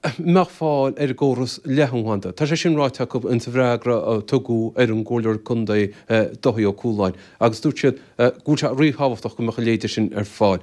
N: an mbeadh fáil ar an gcóras leathanbhanda. Tá sé sin ráite acu insa bhfreagra a tugadh ar an gComhairleoir Contae Dáithí Ó Cualáin agus dúirt siad go bhfuil sé ríthábhachtach go mbeadh a leithéide sin ar fáil.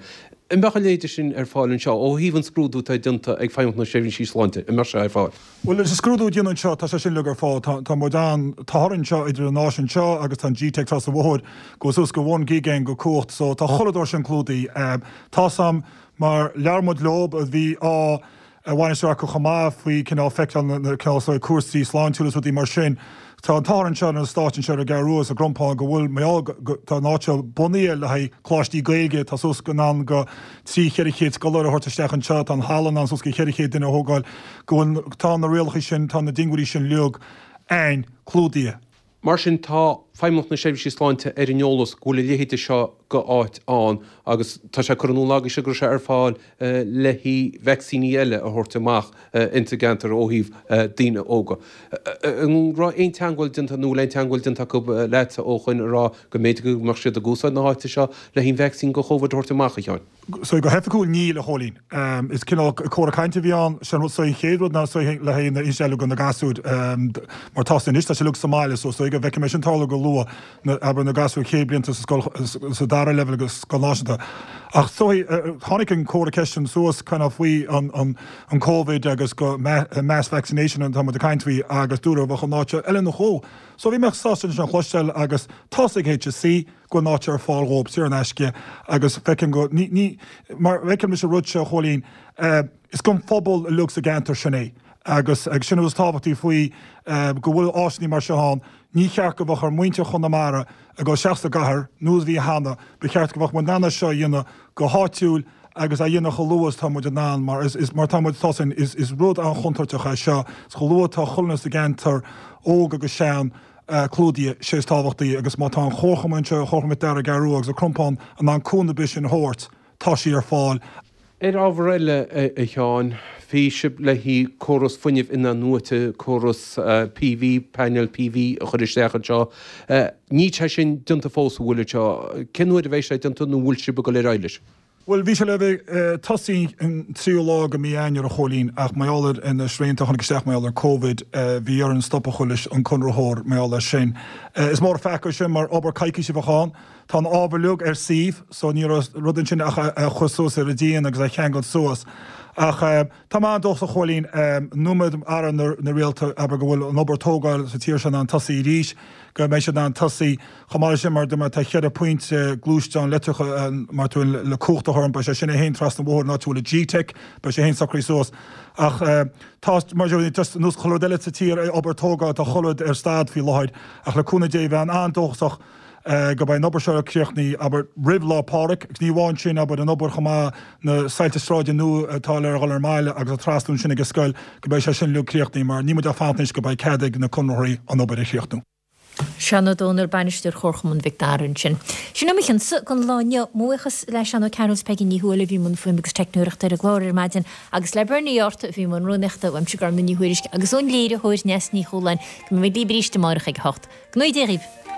N: An mbeadh a leithéide sin ar fáil anseo ó thaobh an scrúdú atá déanta ag Feidhmeannacht na Seirbhísí Sláinte, an mbeadh sé ar fáil?
M: Bhuel, leis an scrúdú a déanadh anseo, tá sé sin uilig ar fáil. Tá, tá muid an, tá orainn anseo idir an áis anseo agus tá an GTeic trasna an bhóthair, go suas go one gig againn go cumhacht, so tá chuile dór sin clúdaithe. Tá's a'm mar labhair muid leob a bhí á bhainistiú acu chomh maith faoi cineál feiceáil na, na cineál so cúrsaí sláintiúla is rudaí mar sin. Tá an t-ádh anseo ar an stáit anseo ar an gCeathrú Rua sa gCrompán go bhfuil mar gheall go, tá an áit seo bunaithe le haghaidh coláistí Gaeilge, tá suas go in ann go trí cheithre chéad scoláire a thabhairt isteach anseo, tá an halla in ann suas go cheithre chéad duine a thógáil, go bhfuil, tá na rialacha sin, tá na diongbháiltí sin uilig ann, clúdaithe.
N: Mar sin, tá Feidhmeannacht na Seirbhísí Sláinte ar an eolas go bhfuil a leithéide seo go áit ann agus tá sé curtha in iúl agaibhse go raibh sé ar fáil le haghaidh vacsaíní eile a thabhairt amach insa gceantar ó thaobh daoine óga. An raibh aon teagmháil déanta nó bhfuil aon teagmháil déanta acu leatsa ó shoin a rá go mb'fhéidir go mbeadh siad ag úsáid na háite seo le haghaidh an vacsaín go Covid a thabhairt amach, a Sheáin?
M: So go hoifigiúil níl, a Chóilín. Is cineál comhrá cainte a bhí ann. Sé an rud so an chéad rud ná so le haghaidh na instealladh go na gasúir mar tá anois tá sé uilig sa mbaile so so go bhfeicfidh mé sin tarlú go luath na abair na gasúir chéad blianta sa scoil sa dara leibhéal agus scoil náisiúnta. Ach so tháinig an comhartha ceiste sin suas kind of faoi an an an Covid agus go mass vaccination atá muid ag caint faoi agus dúradh bheadh an áit eile nó chomh. So bhí mé sásta sin a chloisteáil agus tá's ag HSE go bhfuil an áit ar fáil dhóibh saor in aisce agus feicim go ní ní mar feicim leis an rud seo a Chóilín is don phobal uilig sa gceantar sin é agus agus sin is tábhachtaí faoi go bhfuil áiseanna mar seo ann ní cheart go bheadh ar muintir Chonamara ag dul isteach sa gcathair nós a bhí cheana ba cheart go bheadh muid in ann é seo a dhéanamh go háitiúil agus a dhéanamh chomh luath is tá muid in ann mar is is mar tá muid tá sin is is rud an-chontúirteach é seo is chomh luath atá chuile dhuine sa gceantar óg agus sean clúdaithe sé is tábhachtaí agus má tá an Chomharchumann anseo Comharchumann Mhic Dara an Cheathrú Rua agus an Crompán in ann cúnamh ar bith sin a thabhairt tá sí ar fáil.
N: Ar ábhar eile, a Sheáin, bhí sibh le haghaidh córas fuinnimh in-athnuaite, córas PV, painéil PV a chur isteach anseo. Níl sé sin déanta fós, an bhfuil anseo? Cén uair a bheidh sé déanta nó an bhfuil sibh ag dul ar aghaidh leis?
M: Bhuel, bhí sé le bheith tosaí an tríú lá de mí Eanáir, a Chóilín, ach mar gheall ar na srianta a tháinig isteach mar gheall ar Covid, bhí orainn stop a chur leis an conraitheoir mar gheall air sin. Is mór an pheaca é sin mar obair coicíse a bheadh ann. Tá an ábhar uilig ar suíomh, so ní raibh rud ansin ach é a chur suas ar an díon agus é a cheangal suas. Ach tá mé an-dóchasach, a Chóilín, nóiméad Aire na Rialta, abair go bhfuil an obair tógáil sa tír seo in ann tosaí arís, go mbeidh siad in ann tosaí. Chomh maith leis sin, mar dúirt mé, tá cheithre phointe gluaisteán leictreacha mar tú le cumhacht a chur ann, beidh sé sin é féin trasna an bhóthair an áit a bhfuil an G-Tech, beidh sé féin socraithe suas. Ach tá, mar just ar nós chuile rud eile sa tír, obair tógáil, tá chuile rud ar stad faoi láthair. Ach le cúnamh Dé, bheinn an-dóchasach go mbeidh an obair seo críochnaithe, abair, roimh Lá Pádraig, agus ní amháin sin, abair, an obair chomh maith, na soilse sráide nua atá le dhul ar an mbaile agus an trasnú ansin ag an scoil, go mbeidh sé sin uilig críochnaithe, mar níl muid ach ag fanacht anois go mbeidh cead ag na conraitheoirí an obair a chríochnú.
A: Seán Ó Domhnaill, Bainisteoir Chomharchumann Mhic Dara ansin. Sin é mo chionsa don lá inniu. Mo bhuíochas le Seán Ó Cearúil is Peigí Ní Thuathail a bhí i mbun fuaime agus teicneoireachta ar an gclár ar maidin agus le Bernie Art a bhí i mbun rúnaíochta, uaimse Gormlaith Ní Thuairisg agus ón léiritheoir Neasa Ní Chualáin. Go mbeidh muid libh arís amárach ag a hocht. Go ngnóthaí Dia dhaoibh!